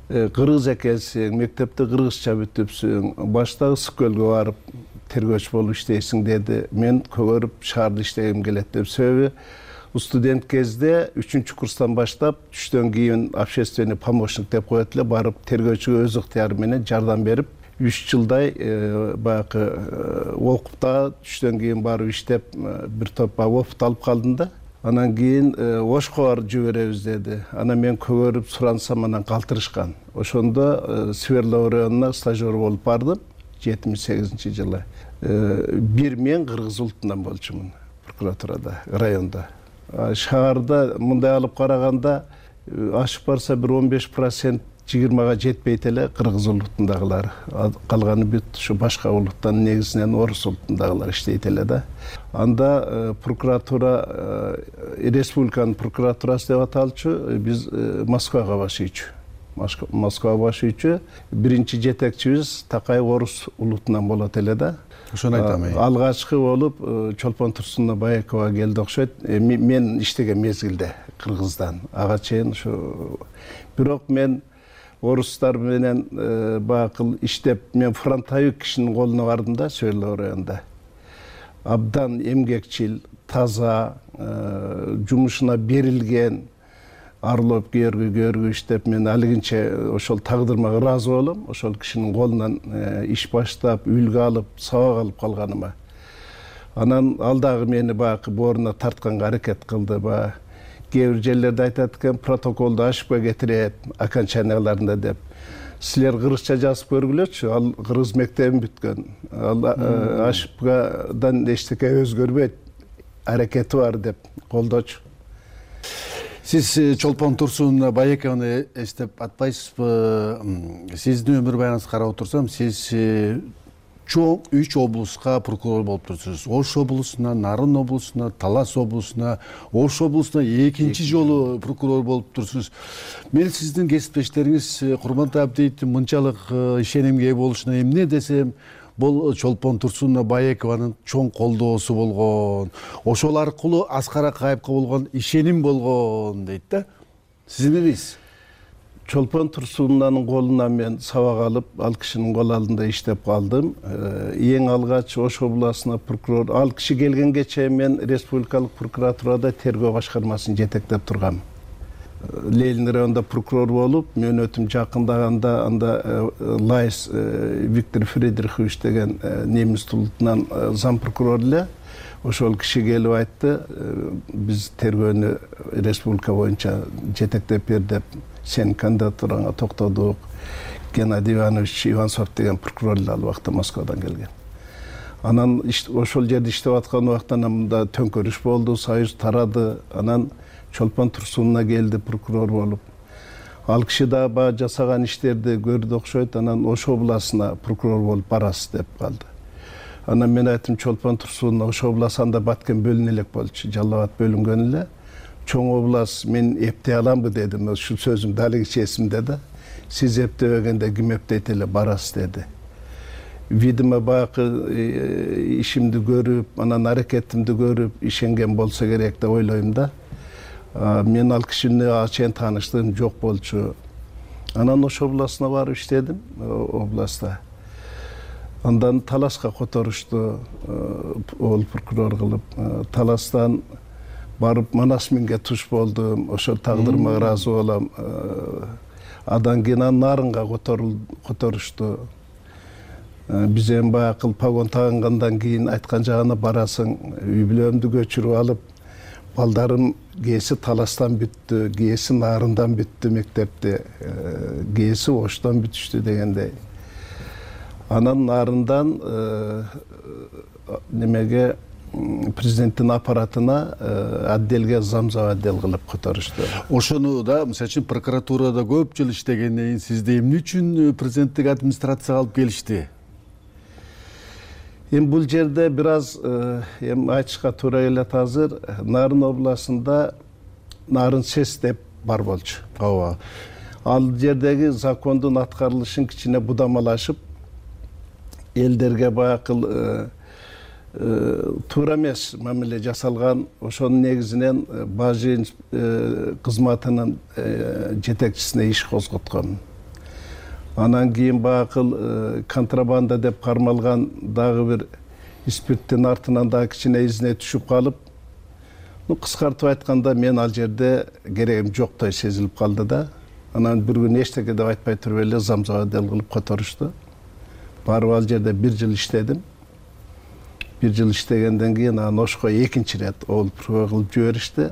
Кыргыз экенсиң, мектепте кыргызча бүтүпсүң, баштагы Ысык-Көлгө барып тергөөчү болуп иштейсиң деди. Мен көгөрүп шаарда иштегим келет деп. Себеби студент кезде үчүнчү курстан баштап түштөн кийин общественный помощник деп коет эле, барып тергөөчүгө өз ыктыяры менен жардам берип үч жылдай баягы окуп, түштөн кийин барып иштеп бир топ опыт алып калдым да. Анан кийин Ошко барып жиберебиз деди. Анан мен көгөрүп сурансам, анан калтырышкан. Ошондо Свердлов районуна стажер болуп бардым жетимиш сегизинчи жылы. Бир мен кыргыз улутунан болчумун. прокуратурада, районда. Шаарда мындай алып караганда ашып барса бир он беш процент жыйырмага жетпейт эле кыргыз улутундагылар. Калганы бүт ушу башка улуттан, негизинен орус улутундагылар иштейт эле да. Анда прокуратура, республиканын прокуратурасы деп аталчу, биз Москвага башыйчу. Москва башыйчу биринчи жетекчибиз Такаев орус улутунан болот эле да. Ошону айтам. Алгачкы болуп Чолпон Турсуновна Баекова келди окшойт. Мен иштеген мезгилде Кыргыздан. Ага чейин ушу. Бирок мен орустар менен бакыл иштеп, мен фронтовик кишинин колуна бардым да, Сөөрлө районунда. Абдан эмгекчил, таза, жумушуна берилген, арлоп көргү көргү иштеп, мен алигинче ошол тагдырмага ыраазы болом. Ошол кишинин колунан иш баштап, үлгү алып, сабак алып калганыма. Анан ал дагы мени баягы боруна тартканга аракет кылды. Баягы кээ бир жерлерде айтат экен, протоколду ошибка кетирет, окончанияларында деп. Силер кыргызча жазып көргүлөчү, ал кыргыз мектебин бүткөн. Ал ошибкадан эчтеке өзгөрбөйт, аракети бар деп колдочу. Сиз Чолпон Турсуновна Баекованы эстеп атпайсызбы? Сиздин өмүр баяныңызды карап отурсам, сиз чоң үч облуска прокурор болуп турсуз. Ош облусуна, Нарын облусуна, Талас облусуна, Ош облусуна экинчи жолу прокурор болуп турсуз. Мен сиздин кесиптештериңиз Курмантай Абдиевдин мынчалык ишенимге ээ болушуна эмне десем, бул Чолпон Турсуновна Баекованын чоң колдоосу болгон. Ошол аркылуу Аскар Акаевге болгон ишеним болгон дейт да. Сиз эмне дейсиз? Чолпон Турсуновнанын колунан мен сабак алып, ал кишинин кол алдында иштеп калдым. Эң алгач Ош областына прокурор, ал киши келгенге чейин мен республикалык прокуратурада тергөө башкармасын жетектеп тургам. Ленин районунда прокурор болуп, мөөнөтүм жакындаганда анда Лайс Виктор Фридрихович деген немис улутунан зам прокурор эле. Ошол киши келип айтты, биз тергөөнү республика боюнча жетектеп бер деп, сен кандидатураңа токтодук. Геннадий Иванович Иванцов деген прокурор эле ал убакта Москвадан келген. Анан ошол жерде иштеп аткан убакта мында төңкөрүш болду, союз тарады. Анан Чолпон Турсуновна келди прокурор болуп. Ал киши да ба жасаган иштерди көрдү окшойт. Анан Ош областына прокурор болуп барасыз деп калды. Анан мен айттым, Чолпон Турсуновна Ош областында баткен бөлүнө элек болчу, Жалал Абад бөлүнгөн эле. Чоң област мен эптей аламбы дедим. Ушул сөзүм далигиче эсимде да. Сиз эптебегенде ким эптейт эле, барасыз деди. Видимо баягы ишимди көрүп, анан аракетимди көрүп, ишенген болсо керек деп ойлойм да. Мен ал кишини чейин тааныштыгым жок болчу. Анан Ош областына барып иштедим, областта. Андан Таласка которушту, ол прокурор кылып. Таластан барып Манасминге туш болдум. Ошол тагдырыма ыраазы болом. Адан кийин Нарынга которушту. Биз эми баягы погон тагынгандан кийин айткан жагына барасың, үй бүлөмдү көчүрүп алып, балдарым кээси Таластан бүттү, кээси Нарындан бүттү мектепти, кээси Оштон бүтүштү дегендей. Анан Нарындан немеге президенттин аппаратына отделге замзам отдел кылып которушту. Ошону да, мисалы үчүн прокуратурада көп жыл иштегенден кийин сизди эмне үчүн президенттик администрацияга алып келишти? Эми бул жерде бир аз эми айтышка туура келет азыр. Нарын областында Нарын СЭС деп бар болчу. Ооба. Ал жердеги закондун аткарылышын кичине будамалашып, элдерге баягы туура эмес мамиле жасалган. Ошонун негизинен бажы кызматынын жетекчисине иш козготкон. Анан кийин баягы контрабанда деп кармалган дагы бир спирттин артынан дагы кичине изине түшүп калып, ну кыскартып айтканда мен ал жерде керегим жоктой сезилип калды да. Анан бир күн эчтеке деп айтпай туруп эле замзам отдел кылып которушту. Барып ал жерде бир жыл иштедим. Бир жыл иштегенден кийин анан Ошко экинчи ирет ол прокурор кылып жиберишти.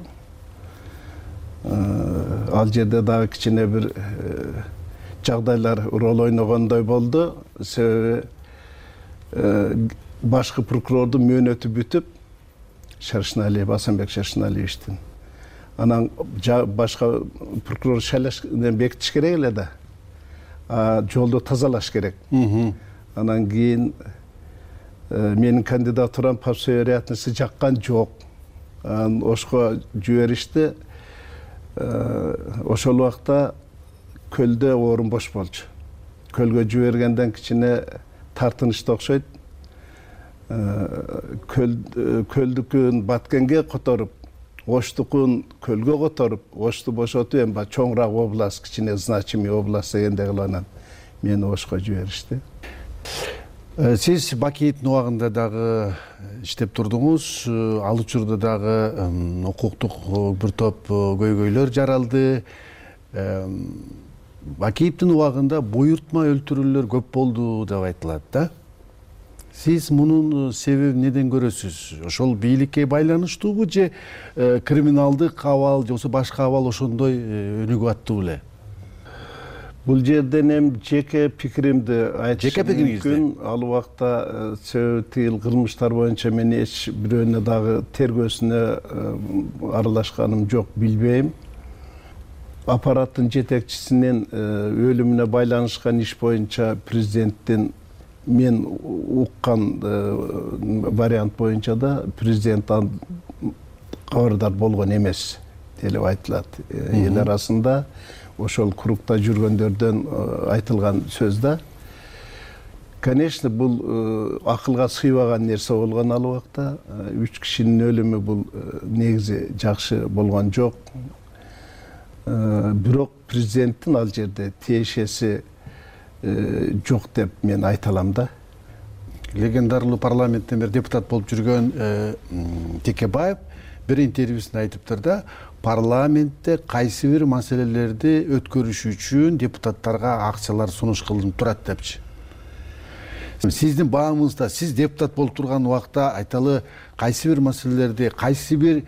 Ал жерде дагы кичине бир жагдайлар рол ойногондой болду. Себеби башкы прокурордун мөөнөтү бүтүп, Шаршыналиев, Асанбек Шаршыналиевичтин. Анан башка прокурор шайлаш бекитиш керек эле да. Жолду тазалаш керек. Анан кийин менин кандидатурам по всей вероятности жаккан жок. Ошко жиберишти. Ошол убакта көлдө орун бош болчу. Көлгө жибергенден кичине тартынычты окшойт. Көлдүкүн Баткенге которуп, Оштукун көлгө которуп, Ошту бошотуп, эми чоңураак область, кичине значимый область дегенде кылып анан мени Ошко жиберишти. Сиз Бакиевдин убагында дагы иштеп турдуңуз. Ал учурда дагы укуктук бир топ көйгөйлөр жаралды. Бакиевдин убагында буйртма өлтүрүүлөр көп болду деп айтылат да. Сиз мунун себебин неден көрөсүз? Ошол бийликке байланыштуубу же криминалдык абал же болбосо башка абал ошондой өнүгүп аттуу эле? Бул жерден эми жеке пикиримди айтышым мүмкүн. Ал убакта себеби тил кылмыштар боюнча мен эч бирөөнө дагы тергөөсүнө аралашканым жок, билбейм. Аппараттын жетекчисинин өлүмүнө байланышкан иш боюнча президенттин мен уккан вариант боюнча да президент кабардар болгон эмес деп айтылат. Эл арасында ошол кругта жүргөндөрдөн айтылган сөз да. Конечно, бул акылга сыйбаган нерсе болгон ал убакта. Үч кишинин өлүмү бул негизи жакшы болгон жок. Бирок президенттин ал жерде тиешеси жок деп мен айта алам да. Легендарлуу парламенттен бери депутат болуп жүргөн Текебаев бир интервьюсунда айтыптыр да, парламентте кайсы бир маселелерди өткөрүш үчүн депутаттарга акчалар сунуш кылынып турат депчи. Сиздин баамыңызда сиз депутат болуп турган убакта айталы кайсы бир маселелерди кайсы бир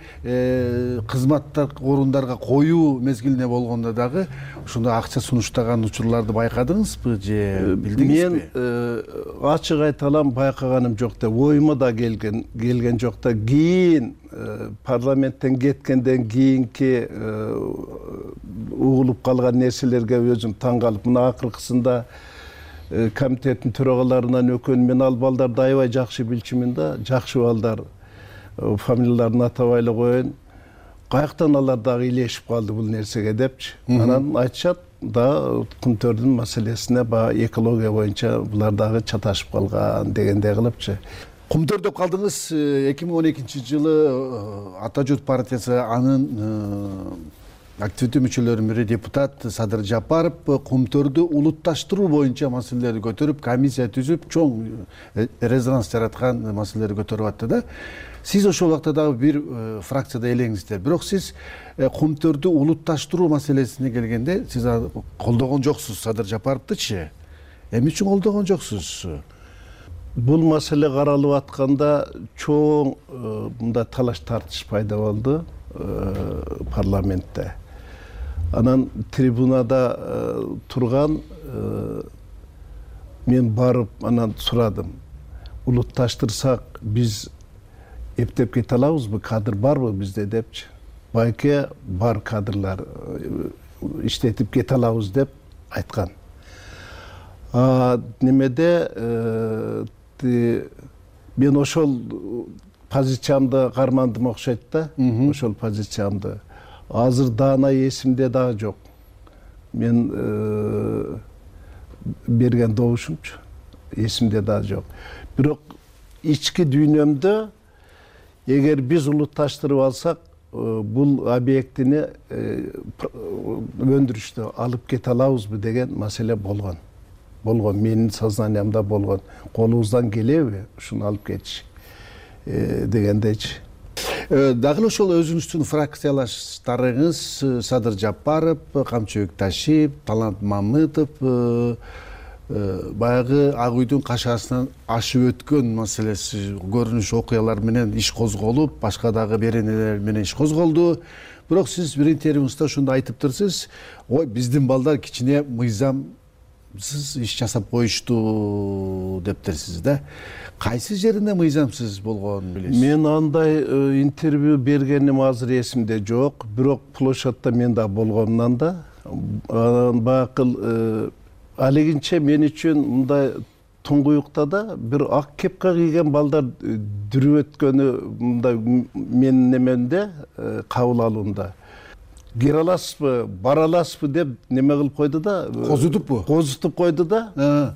кызматтар орундарга коюу мезгилине болгондо дагы ошондой акча сунуштаган учурларды байкадыңызбы же билдиңизби? Мен ачык айта алам, байкаганым жок деп, оюма да келген келген жок да. Кийин парламенттен кеткенден кийинки угулуп калган нерселерге өзүм таң калып, мына акыркысында комитеттин төрагаларынан өкөн мен ал балдарды аябай жакшы билчүмүн да, жакшы балдар, фамилияларын атабай эле коеюн. Каяктан алар дагы илешип калды бул нерсеге депчи. Анан айтышат да, Кумтөрдүн маселесине баягы экология боюнча булар дагы чаташып калган дегендей кылыпчы. Кумтөрдө калдыңыз. эки миң он экинчи жылы Ата журт партиясы анын активдүү мүчөлөрүнүн бири депутат Садыр Жапаров Кумтөрдү улутташтыруу боюнча маселелерди көтөрүп, комиссия түзүп, чоң резонанс жараткан маселелерди көтөрүп атты да. Сиз ошол убакта дагы бир фракцияда элеңиздер. Бирок сиз Кумтөрдү улутташтыруу маселесине келгенде сиз колдогон жоксуз Садыр Жапаровдучу. Эмне үчүн колдогон жоксуз? Бул маселе каралып атканда чоң мында талаш тартыш пайда болду парламентте. Анан трибунада турган мен барып анан сурадым. Улутташтырсак биз эптеп кете алабызбы, кадр барбы бизде депчи. Байке бар кадрлар, иштетип кете алабыз деп айткан. Немеде мен ошол позициямды кармандым окшойт да, ошол позициямды. Азыр даана эсимде дагы жок. Мен берген добушумчу эсимде дагы жок. Бирок ички дүйнөмдө эгер биз улутташтырып алсак, бул объектини өндүрүштө алып кете алабызбы деген маселе болгон. Болгон, менин сознаниямда болгон. Колубуздан келеби ушуну алып кетиш дегендейчи. Дагы ошол өзүңүздүн фракциялаштарыңыз Садыр Жапаров, Камчыбек Ташиев, Талант Мамытов баягы Ак үйдүн кашасынан ашып өткөн маселеси, көрүнүш окуялар менен иш козголуп, башка дагы беренелер менен иш козголду. Бирок сиз бир интервьюңузда ушундай айтыптырсыз, ой, биздин балдар кичине мыйзам мыйзамсыз иш жасап коюшту дептерсиз да. Кайсы жеринде мыйзамсыз болгонун билесиз? Мен андай интервью бергеним азыр эсимде жок, бирок площадьта мен да болгонумдан да бакыл алегинче мен үчүн мындай туңгуюкта да бир ак кепка кийген балдар дүрүп өткөнү мындай менин немемде кабыл алуумда. Кире аласызбы, бара аласызбы деп неме кылып койду да. Козутуппу? Козутуп койду да.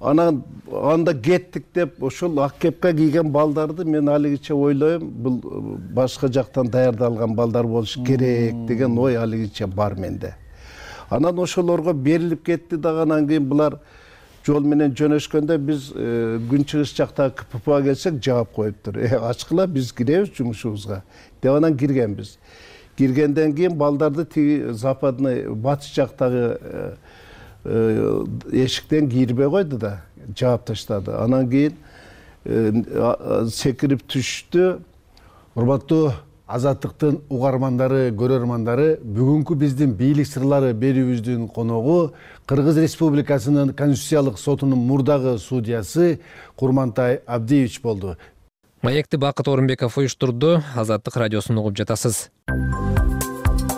Анан анда кеттик деп ошол ак кепка кийген балдарды мен алигиче ойлойм, бул башка жактан даярдалган балдар болуш керек деген ой алигиче бар менде. Анан ошолорго берилип кетти дагы, анан кийин булар жол менен жөнөшкөндө биз күнчыгыш жактагы ка пэ пэ га келсек жаап коюптур. Э, ачкыла, биз киребиз жумушубузга деп анан киргенбиз. Киргенден кийин балдарды тиги западный батыш жактагы эшиктен кирбей койду да, жаап таштады. Анан кийин секирип түштү. Урматтуу Азаттыктын угармандары, көрөрмандары, бүгүнкү биздин бийлик сырлары берүүбүздүн коногу Кыргыз Республикасынын Конституциялык сотунун мурдагы судьясы Курмантай Абдиевич болду. Маекти Бакыт Орунбеков уюштурду. Азаттык радиосун угуп жатасыз.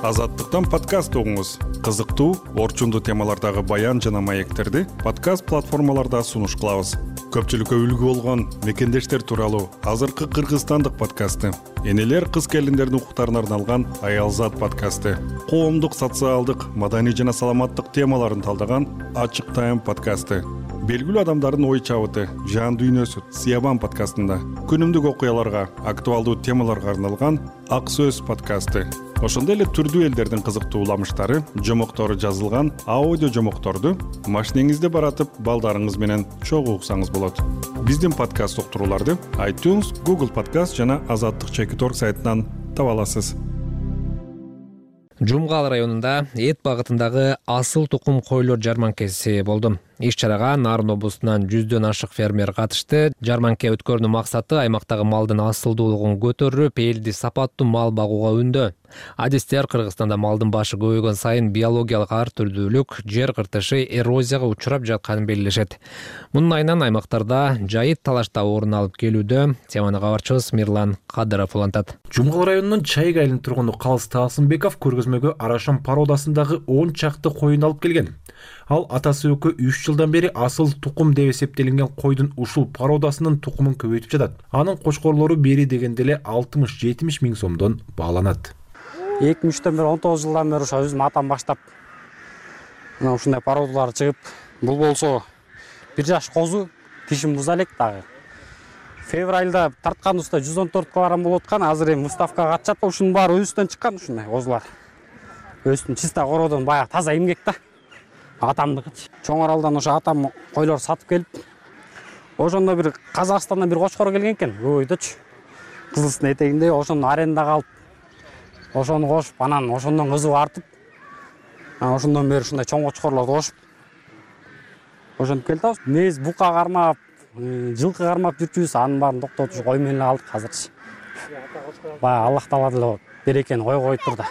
Азаттыктан подкаст угуңуз. Кызыктуу, орчундуу темалардагы баян жана маектерди подкаст платформаларда сунуш кылабыз. Көпчүлүккө үлгү болгон мекендештер тууралуу азыркы кыргызстандык подкасты, энелер кыз келиндердин укуктарына арналган Аялзат подкасты, коомдук, социалдык, маданий жана саламаттык темаларын талдаган Ачык Тайм подкасты, белгилүү адамдардын ой чабыты, жан дүйнөсү Сиябан подкастында, күнүмдүк окуяларга, актуалдуу темаларга арналган Ак Сөз подкасты. Ошондой эле түрдүү элдердин кызыктуу уламыштары, жомоктору жазылган аудио жомокторду машинеңизде баратып, балдарыңыз менен чогуу уксаңыз болот. Биздин подкаст уктурууларды iTunes, Google Podcast жана Азаттык чекит точка орг сайтынан таба аласыз. Жумгал районунда эт багытындагы асыл тукум койлор жарманкеси болду. Иш-чарага Нарын облусунан жүздөн ашык фермер катышты. Жарманке өткөрүүнүн максаты аймактагы малдын асылдуулугун көтөрүп, элди сапаттуу мал багууга үндөө. Адистер Кыргызстанда малдын башы көбөйгөн сайын биологиялык ар түрдүүлүк, жер кыртышы, эрозияга учурап жатканын белгилешет. Мунун айынан аймактарда жайыт талашта орун алып келүүдө. Теманы кабарчыбыз Мирлан Кадыров улантат. Жумгал районунун Чайык айылынын тургуну Калыс Таасымбеков көргөзмөгө Арашан породасындагы он чакты коюн алып келген. Ал атасы өкө үч жылдан бери асыл тукум деп эсептелинген койдун ушул породасынын тукумун көбөйтүп жатат. Анын кочкорлору бери дегенде эле алтымыш жетимиш миң сомдон бааланат. эки миң үчтөн бери он тогуз жылдан бери ошо өзүм атам баштап мына ушундай породалар чыгып, бул болсо бир жаш козу, тишин буза элек дагы. Февралда тартканыбызда жүз он төрт килограмм болуп аткан, азыр эми выставкага катышат. Ушунун баары өзүбүздөн чыккан ушундай козулар. Өзүбүздүн чиста кородон баягы таза эмгек да. Атамдыкычы. Чоң Аралдан ошо атам койлор сатып келип, ошондо бир Казакстандан бир кочкор келген экен, көбөйдүчү. Кызылстын этегинде ошону арендага алып, ошону кошуп, анан ошондон кызып артып, ошондон бери ушундай чоң кочкорлорду кошуп, ошентип келдик. Мез бука кармап, жылкы кармап жүрчүбүз, анын баарын токтотуп кой менен эле алдык азырчы. Баягы Аллах Таала деле берекени койгой турду.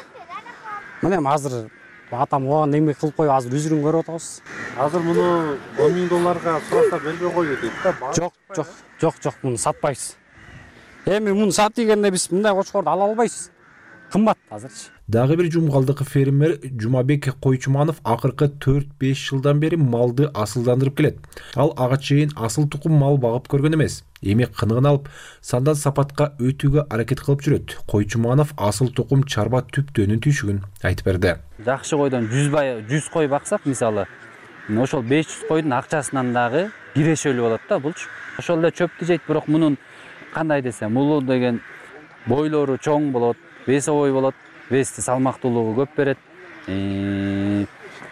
Мына эми азыр атам оған эмгек кылып коюп, азыр үзүрүн көрүп атабыз. Азыр муну он миң долларга сураса бербей коюу дейт да. Жок, жок, жок, жок, муну сатпайбыз. Эми муну сат дегенде биз мындай кочкорду ала албайбыз. Кымбат азырчы. Дагы бир жумгалдык фермер Жумабек Койчуманов акыркы төрт беш жылдан бери малды асылдандырып келет. Ал ага чейин асыл тукум мал багып көргөн эмес. Эми кыныгын алып, сандан сапатка өтүүгө аракет кылып жүрөт. Койчуманов асыл тукум чарба түптөөнүн түйшүгүн айтып берди. Жакшы койдон жүз кой баксак, мисалы, ошол беш жүз койдун акчасынан дагы кирешөлүү болот да булчу. Ошол эле чөптү жейт, бирок мунун кандай десем, улуу деген бойлору чоң болот, весовой болот. Вести салмактуулугу көп берет.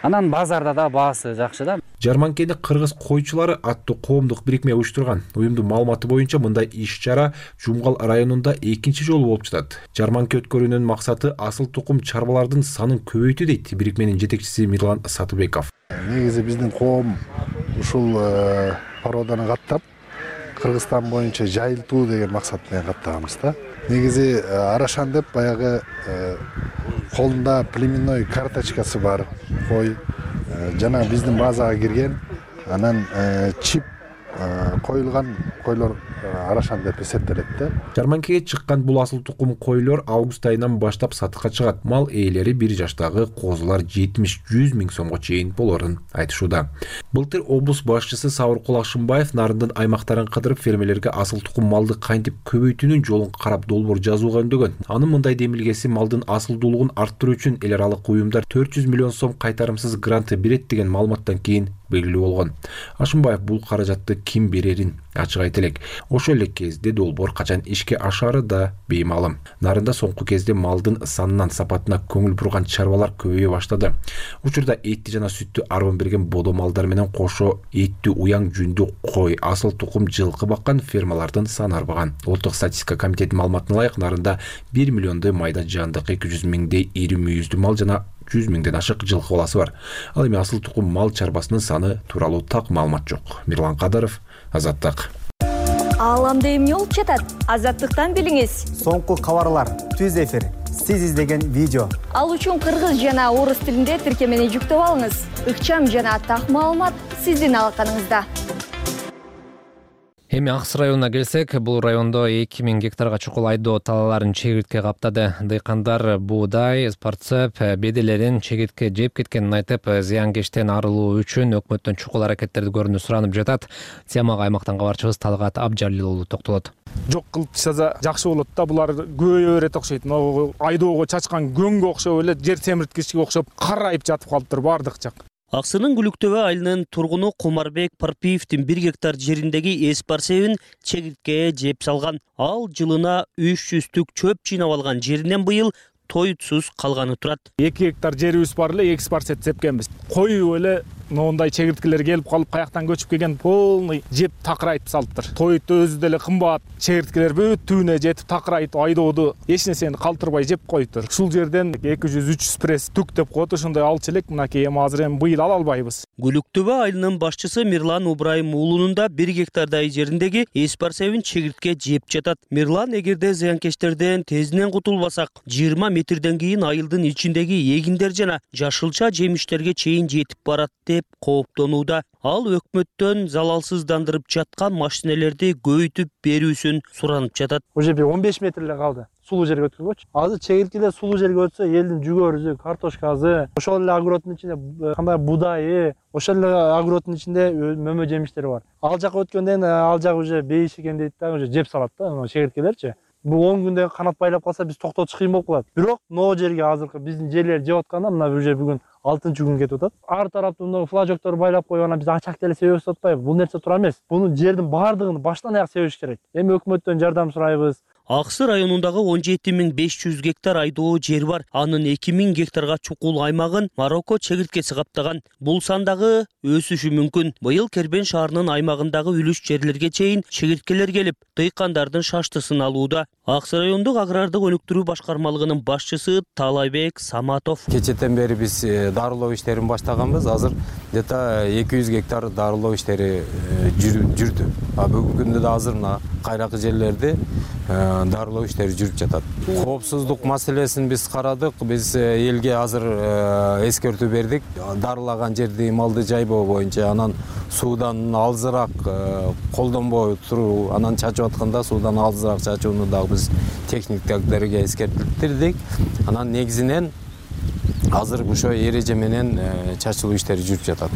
Анан базарда да баасы жакшы да. Жарманкени кыргыз койчулары аттуу коомдук бирикме уюштурган. Уюмдун маалыматы боюнча мындай иш-чара Жумгал районунда экинчи жолу болуп жатат. Жарманке өткөрүүнүн максаты асыл тукум чарбалардын санын көбөйтүү дейт бирикменин жетекчиси Мирлан Сатыбеков. Негизи биздин коом ушул породаны каттап, Кыргызстан боюнча жайылтуу деген максат менен каттаганбыз да. Негизи Арашан деп баягы колунда племенной карточкасы бар кой, жана биздин базага кирген, анан чип коюлган койлор арашан деп эсептелет да. Жарманкеге чыккан бул асыл тукум койлор август айынан баштап сатыкка чыгат. Мал ээлери бир жаштагы козулар жетимиш жүз миң сомго чейин болорун айтышууда. Былтыр облус башчысы Сабыркул Акшымбаев нарындын аймактарын кыдырып фермерлерге асыл тукум малды кантип көбөйтүүнүн жолун карап долбоор жазууга үндөгөн. Анын мындай демилгеси малдын асылдуулугун арттыруу үчүн эл аралык уюмдар төрт жүз миллион сом кайтарымсыз гранты берет деген маалыматтан кийин белгилүү болгон. Ашымбаев бул каражатты ким берерин ачык айта элек. Ошол эле кезде долбоор качан ишке ашаары да беймаалым. Нарында соңку кезде малдын санынан сапатына көңүл бурган чарбалар көбөйө баштады. Учурда этти жана сүттү арбан берген бодо малдар менен кошо эттүү уяң жүндүү кой, асыл тукум жылкы баккан фермалардын саны арбаган. Улуттук статистика комитетинин маалыматына ылайык нарында бир миллиондой майда жандык, эки жүз миңдей ири мүйүздүү мал жана жүз миңден ашык жылкы баласы бар. Ал эми асыл тукум мал чарбасынын саны тууралуу так маалымат жок. Мирлан Кадаров, Азаттык. Ааламда эмне болуп жатат? Азаттыктан билиңиз. Соңку кабарлар, түз эфир, сиз издеген видео. Ал үчүн кыргыз жана орус тилинде тиркемени жүктөп алыңыз. Ыкчам жана так маалымат сиздин алаканыңызда. Эми Акс районуна келсек, бул райондо эки миң гектарга чукул айдоо талааларын чегиртке каптады. Дыйкандар буудай, спарцеп, беделерин чегиртке жеп кеткенин айтып, зыянкечтен арылуу үчүн өкмөттөн чукул аракеттерди көрүүнү суранып жатат. Темага аймактан кабарчыбыз Талгат Абжалил уулу токтолот. Жок кылып тышса жакшы болот да, булар көбөйө берет окшойт. Айдоого чачкан көңгө окшоп эле жер темирткичке окшоп карайып жатып калыптыр бардык жак. Аксынын Гүлүктөбө айылынын тургуну Кумарбек Парпиевдин бир гектар жериндеги эспарсебин чегирткеге жеп салган. Ал жылына үч жүздүк чөп жыйнап алган жеринен быйыл тойтсуз калганы турат. эки гектар жерибиз бар эле, эки спарсет сепкенбиз. Коюп эле моундай чегирткелер келип калып, каяктан көчүп келген полный жеп такырайтып салыптыр. Тойт өзү деле кымбат, чегирткелер бүт түбүнө жетип такырайтып айдоодо эч нерсени калтырбай жеп коюптур. Ушул жерден эки жүз үч жүз пресс түк деп коет, ошондой алчу элек, мынакей эми азыр эми быйыл ала албайбыз. Гүлүктөбө айылынын башчысы Мирлан Убрайым уулунун да бир гектардай жериндеги эспарсебин чегиртке жеп жатат. Мирлан, эгерде зыянкечтерден тезинен кутулбасак, жыйырма метрден кийин айылдын ичиндеги эгиндер жана жашылча жемиштерге чейин жетип барат деп кооптонууда. Ал өкмөттөн залалсыздандырып жаткан машинелерди көбөйтүп берүүсүн суранып жатат. Уже бир он беш метр эле калды. Сулуу жерге өткөргөчү. Азыр чегирткелер сулуу жерге өтсө, элдин жүгөрүсү, картошкасы, ошол эле огороддун ичинде кандай будайы, ошол эле огороддун ичинде мөмө жемиштери бар. Ал жака өткөндөн ал жак уже бейиш экен дейт да, уже жеп салат да чегирткелерчи. Бул он күндө канат байлап калса, биз токтотуш кыйын болуп калат. Бирок могу жерге азыркы биздин жерлер жеп атканда, мына уже бүгүн алтынчы күн кетип атат. Ар тараптуу мына флажокторду байлап коюп, анан биз ачак деле себебиз атпайбы? Бул нерсе туура эмес. Буну жердин баардыгын баштан аяк себиш керек. Эми өкмөттөн жардам сурайбыз. Аксы районундагы он жети миң беш жүз гектар айдоо жер бар. Анын эки миң гектарга чукул аймагын Марокко чегирткеси каптаган. Бул сан дагы өсүшү мүмкүн. Быйыл Кербен шаарынын аймагындагы үлүш жерлерге чейин чегирткелер келип, дыйкандардын шаштысын алууда. Аксы райондук агрардык өнүктүрүү башкармалыгынын башчысы Талайбек Саматов. Кечетен бери биз дарылоо иштерин баштаганбыз. Азыр где-то эки жүз гектар дарылоо иштери жүрдү. А бүгүнкү күндө да азыр мына кайракы жерлерде дарылоо иштери жүрүп жатат. Коопсуздук маселесин биз карадык. Биз элге азыр эскертүү бердик. Дарылаган жерди малды жайбоо боюнча, анан суудан алзыраак колдонбой туруу, анан чачып атканда суудан алзыраак чачууну дагы биз техниктерге эскертилдик. Анан негизинен азыр ошо эреже менен чачылуу иштери жүрүп жатат.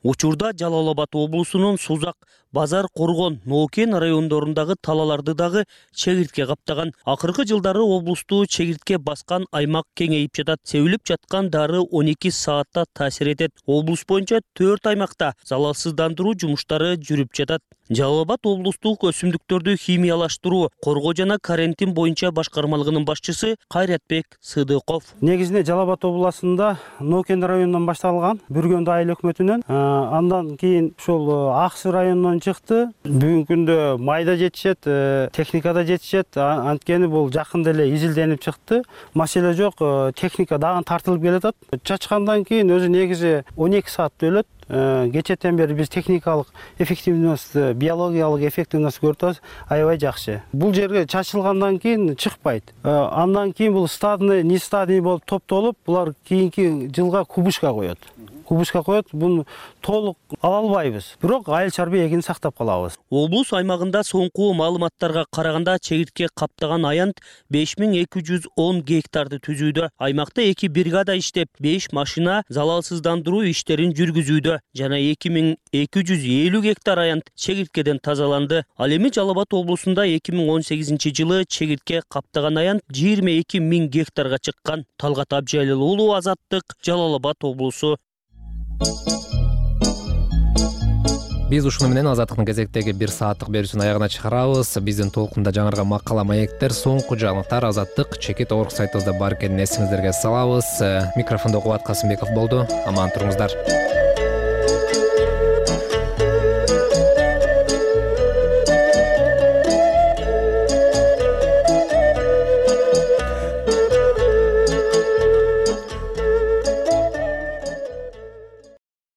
Учурда Жалал Абад облусунун Сузак, Базар, Коргон, Ноокен райондорундагы талаларды дагы чегиртке каптаган. Акыркы жылдары облусту чегиртке баскан аймак кеңейип жатат. Себилип жаткан дары он эки саатта таасир этет. Облус боюнча төрт аймакта залалсыздандыруу жумуштары жүрүп жатат. Жалал Абад облустук өсүмдүктөрдү химиялаштыруу, коргоо жана карантин боюнча башкармалыгынын башчысы Кайратбек Сыдыков. Негизинде Жалал Абад областында Ноокен районунан башталган, Бүргөндө айыл өкмөтүнөн, андан кийин ушул Аксы районунан чыкты. Бүгүнкү күндө майда жетишет, техникада жетишет. Анткени бул жакында эле изилденип чыкты. Маселе жок, техника дагы тартылып келатат. Чачкандан кийин өзү негизи он эки саат өлөт. Кечетен бери биз техникалык эффективность, биологиялык эффективность көрүп атабыз, аябай жакшы. Бул жерге чачылгандан кийин чыкпайт. Андан кийин бул стадный, не стадный болуп топтолуп, булар кийинки жылга кубышка коет. кубышка коет, буну толук ала албайбыз. Бирок айыл чарбы эгини сактап калабыз. Облус аймагында соңку маалыматтарга караганда чегиртке каптаган аянт беш миң эки жүз он гектарды түзүүдө. Аймакта эки бригада иштеп, беш машина залалсыздандыруу иштерин жүргүзүүдө жана эки миң эки жүз элүү гектар аянт чегирткеден тазаланды. Ал эми Жалал Абад облусунда эки миң он сегизинчи жылы чегиртке каптаган аянт жыйырма эки миң гектарга чыккан. Талгат Абжалил уулу, Азаттык, Жалал Абад облусу. Биз ушуну менен Азаттыктын кезектеги бир сааттык берүүсүн аягына чыгарабыз. Биздин толкунда жаңырган макала, маектер, соңку жаңылыктар Азаттык чекит орг сайтыбызда бар экенин эсиңиздерге салабыз. Микрофондо Кубат Касымбеков болду. Аман туруңуздар.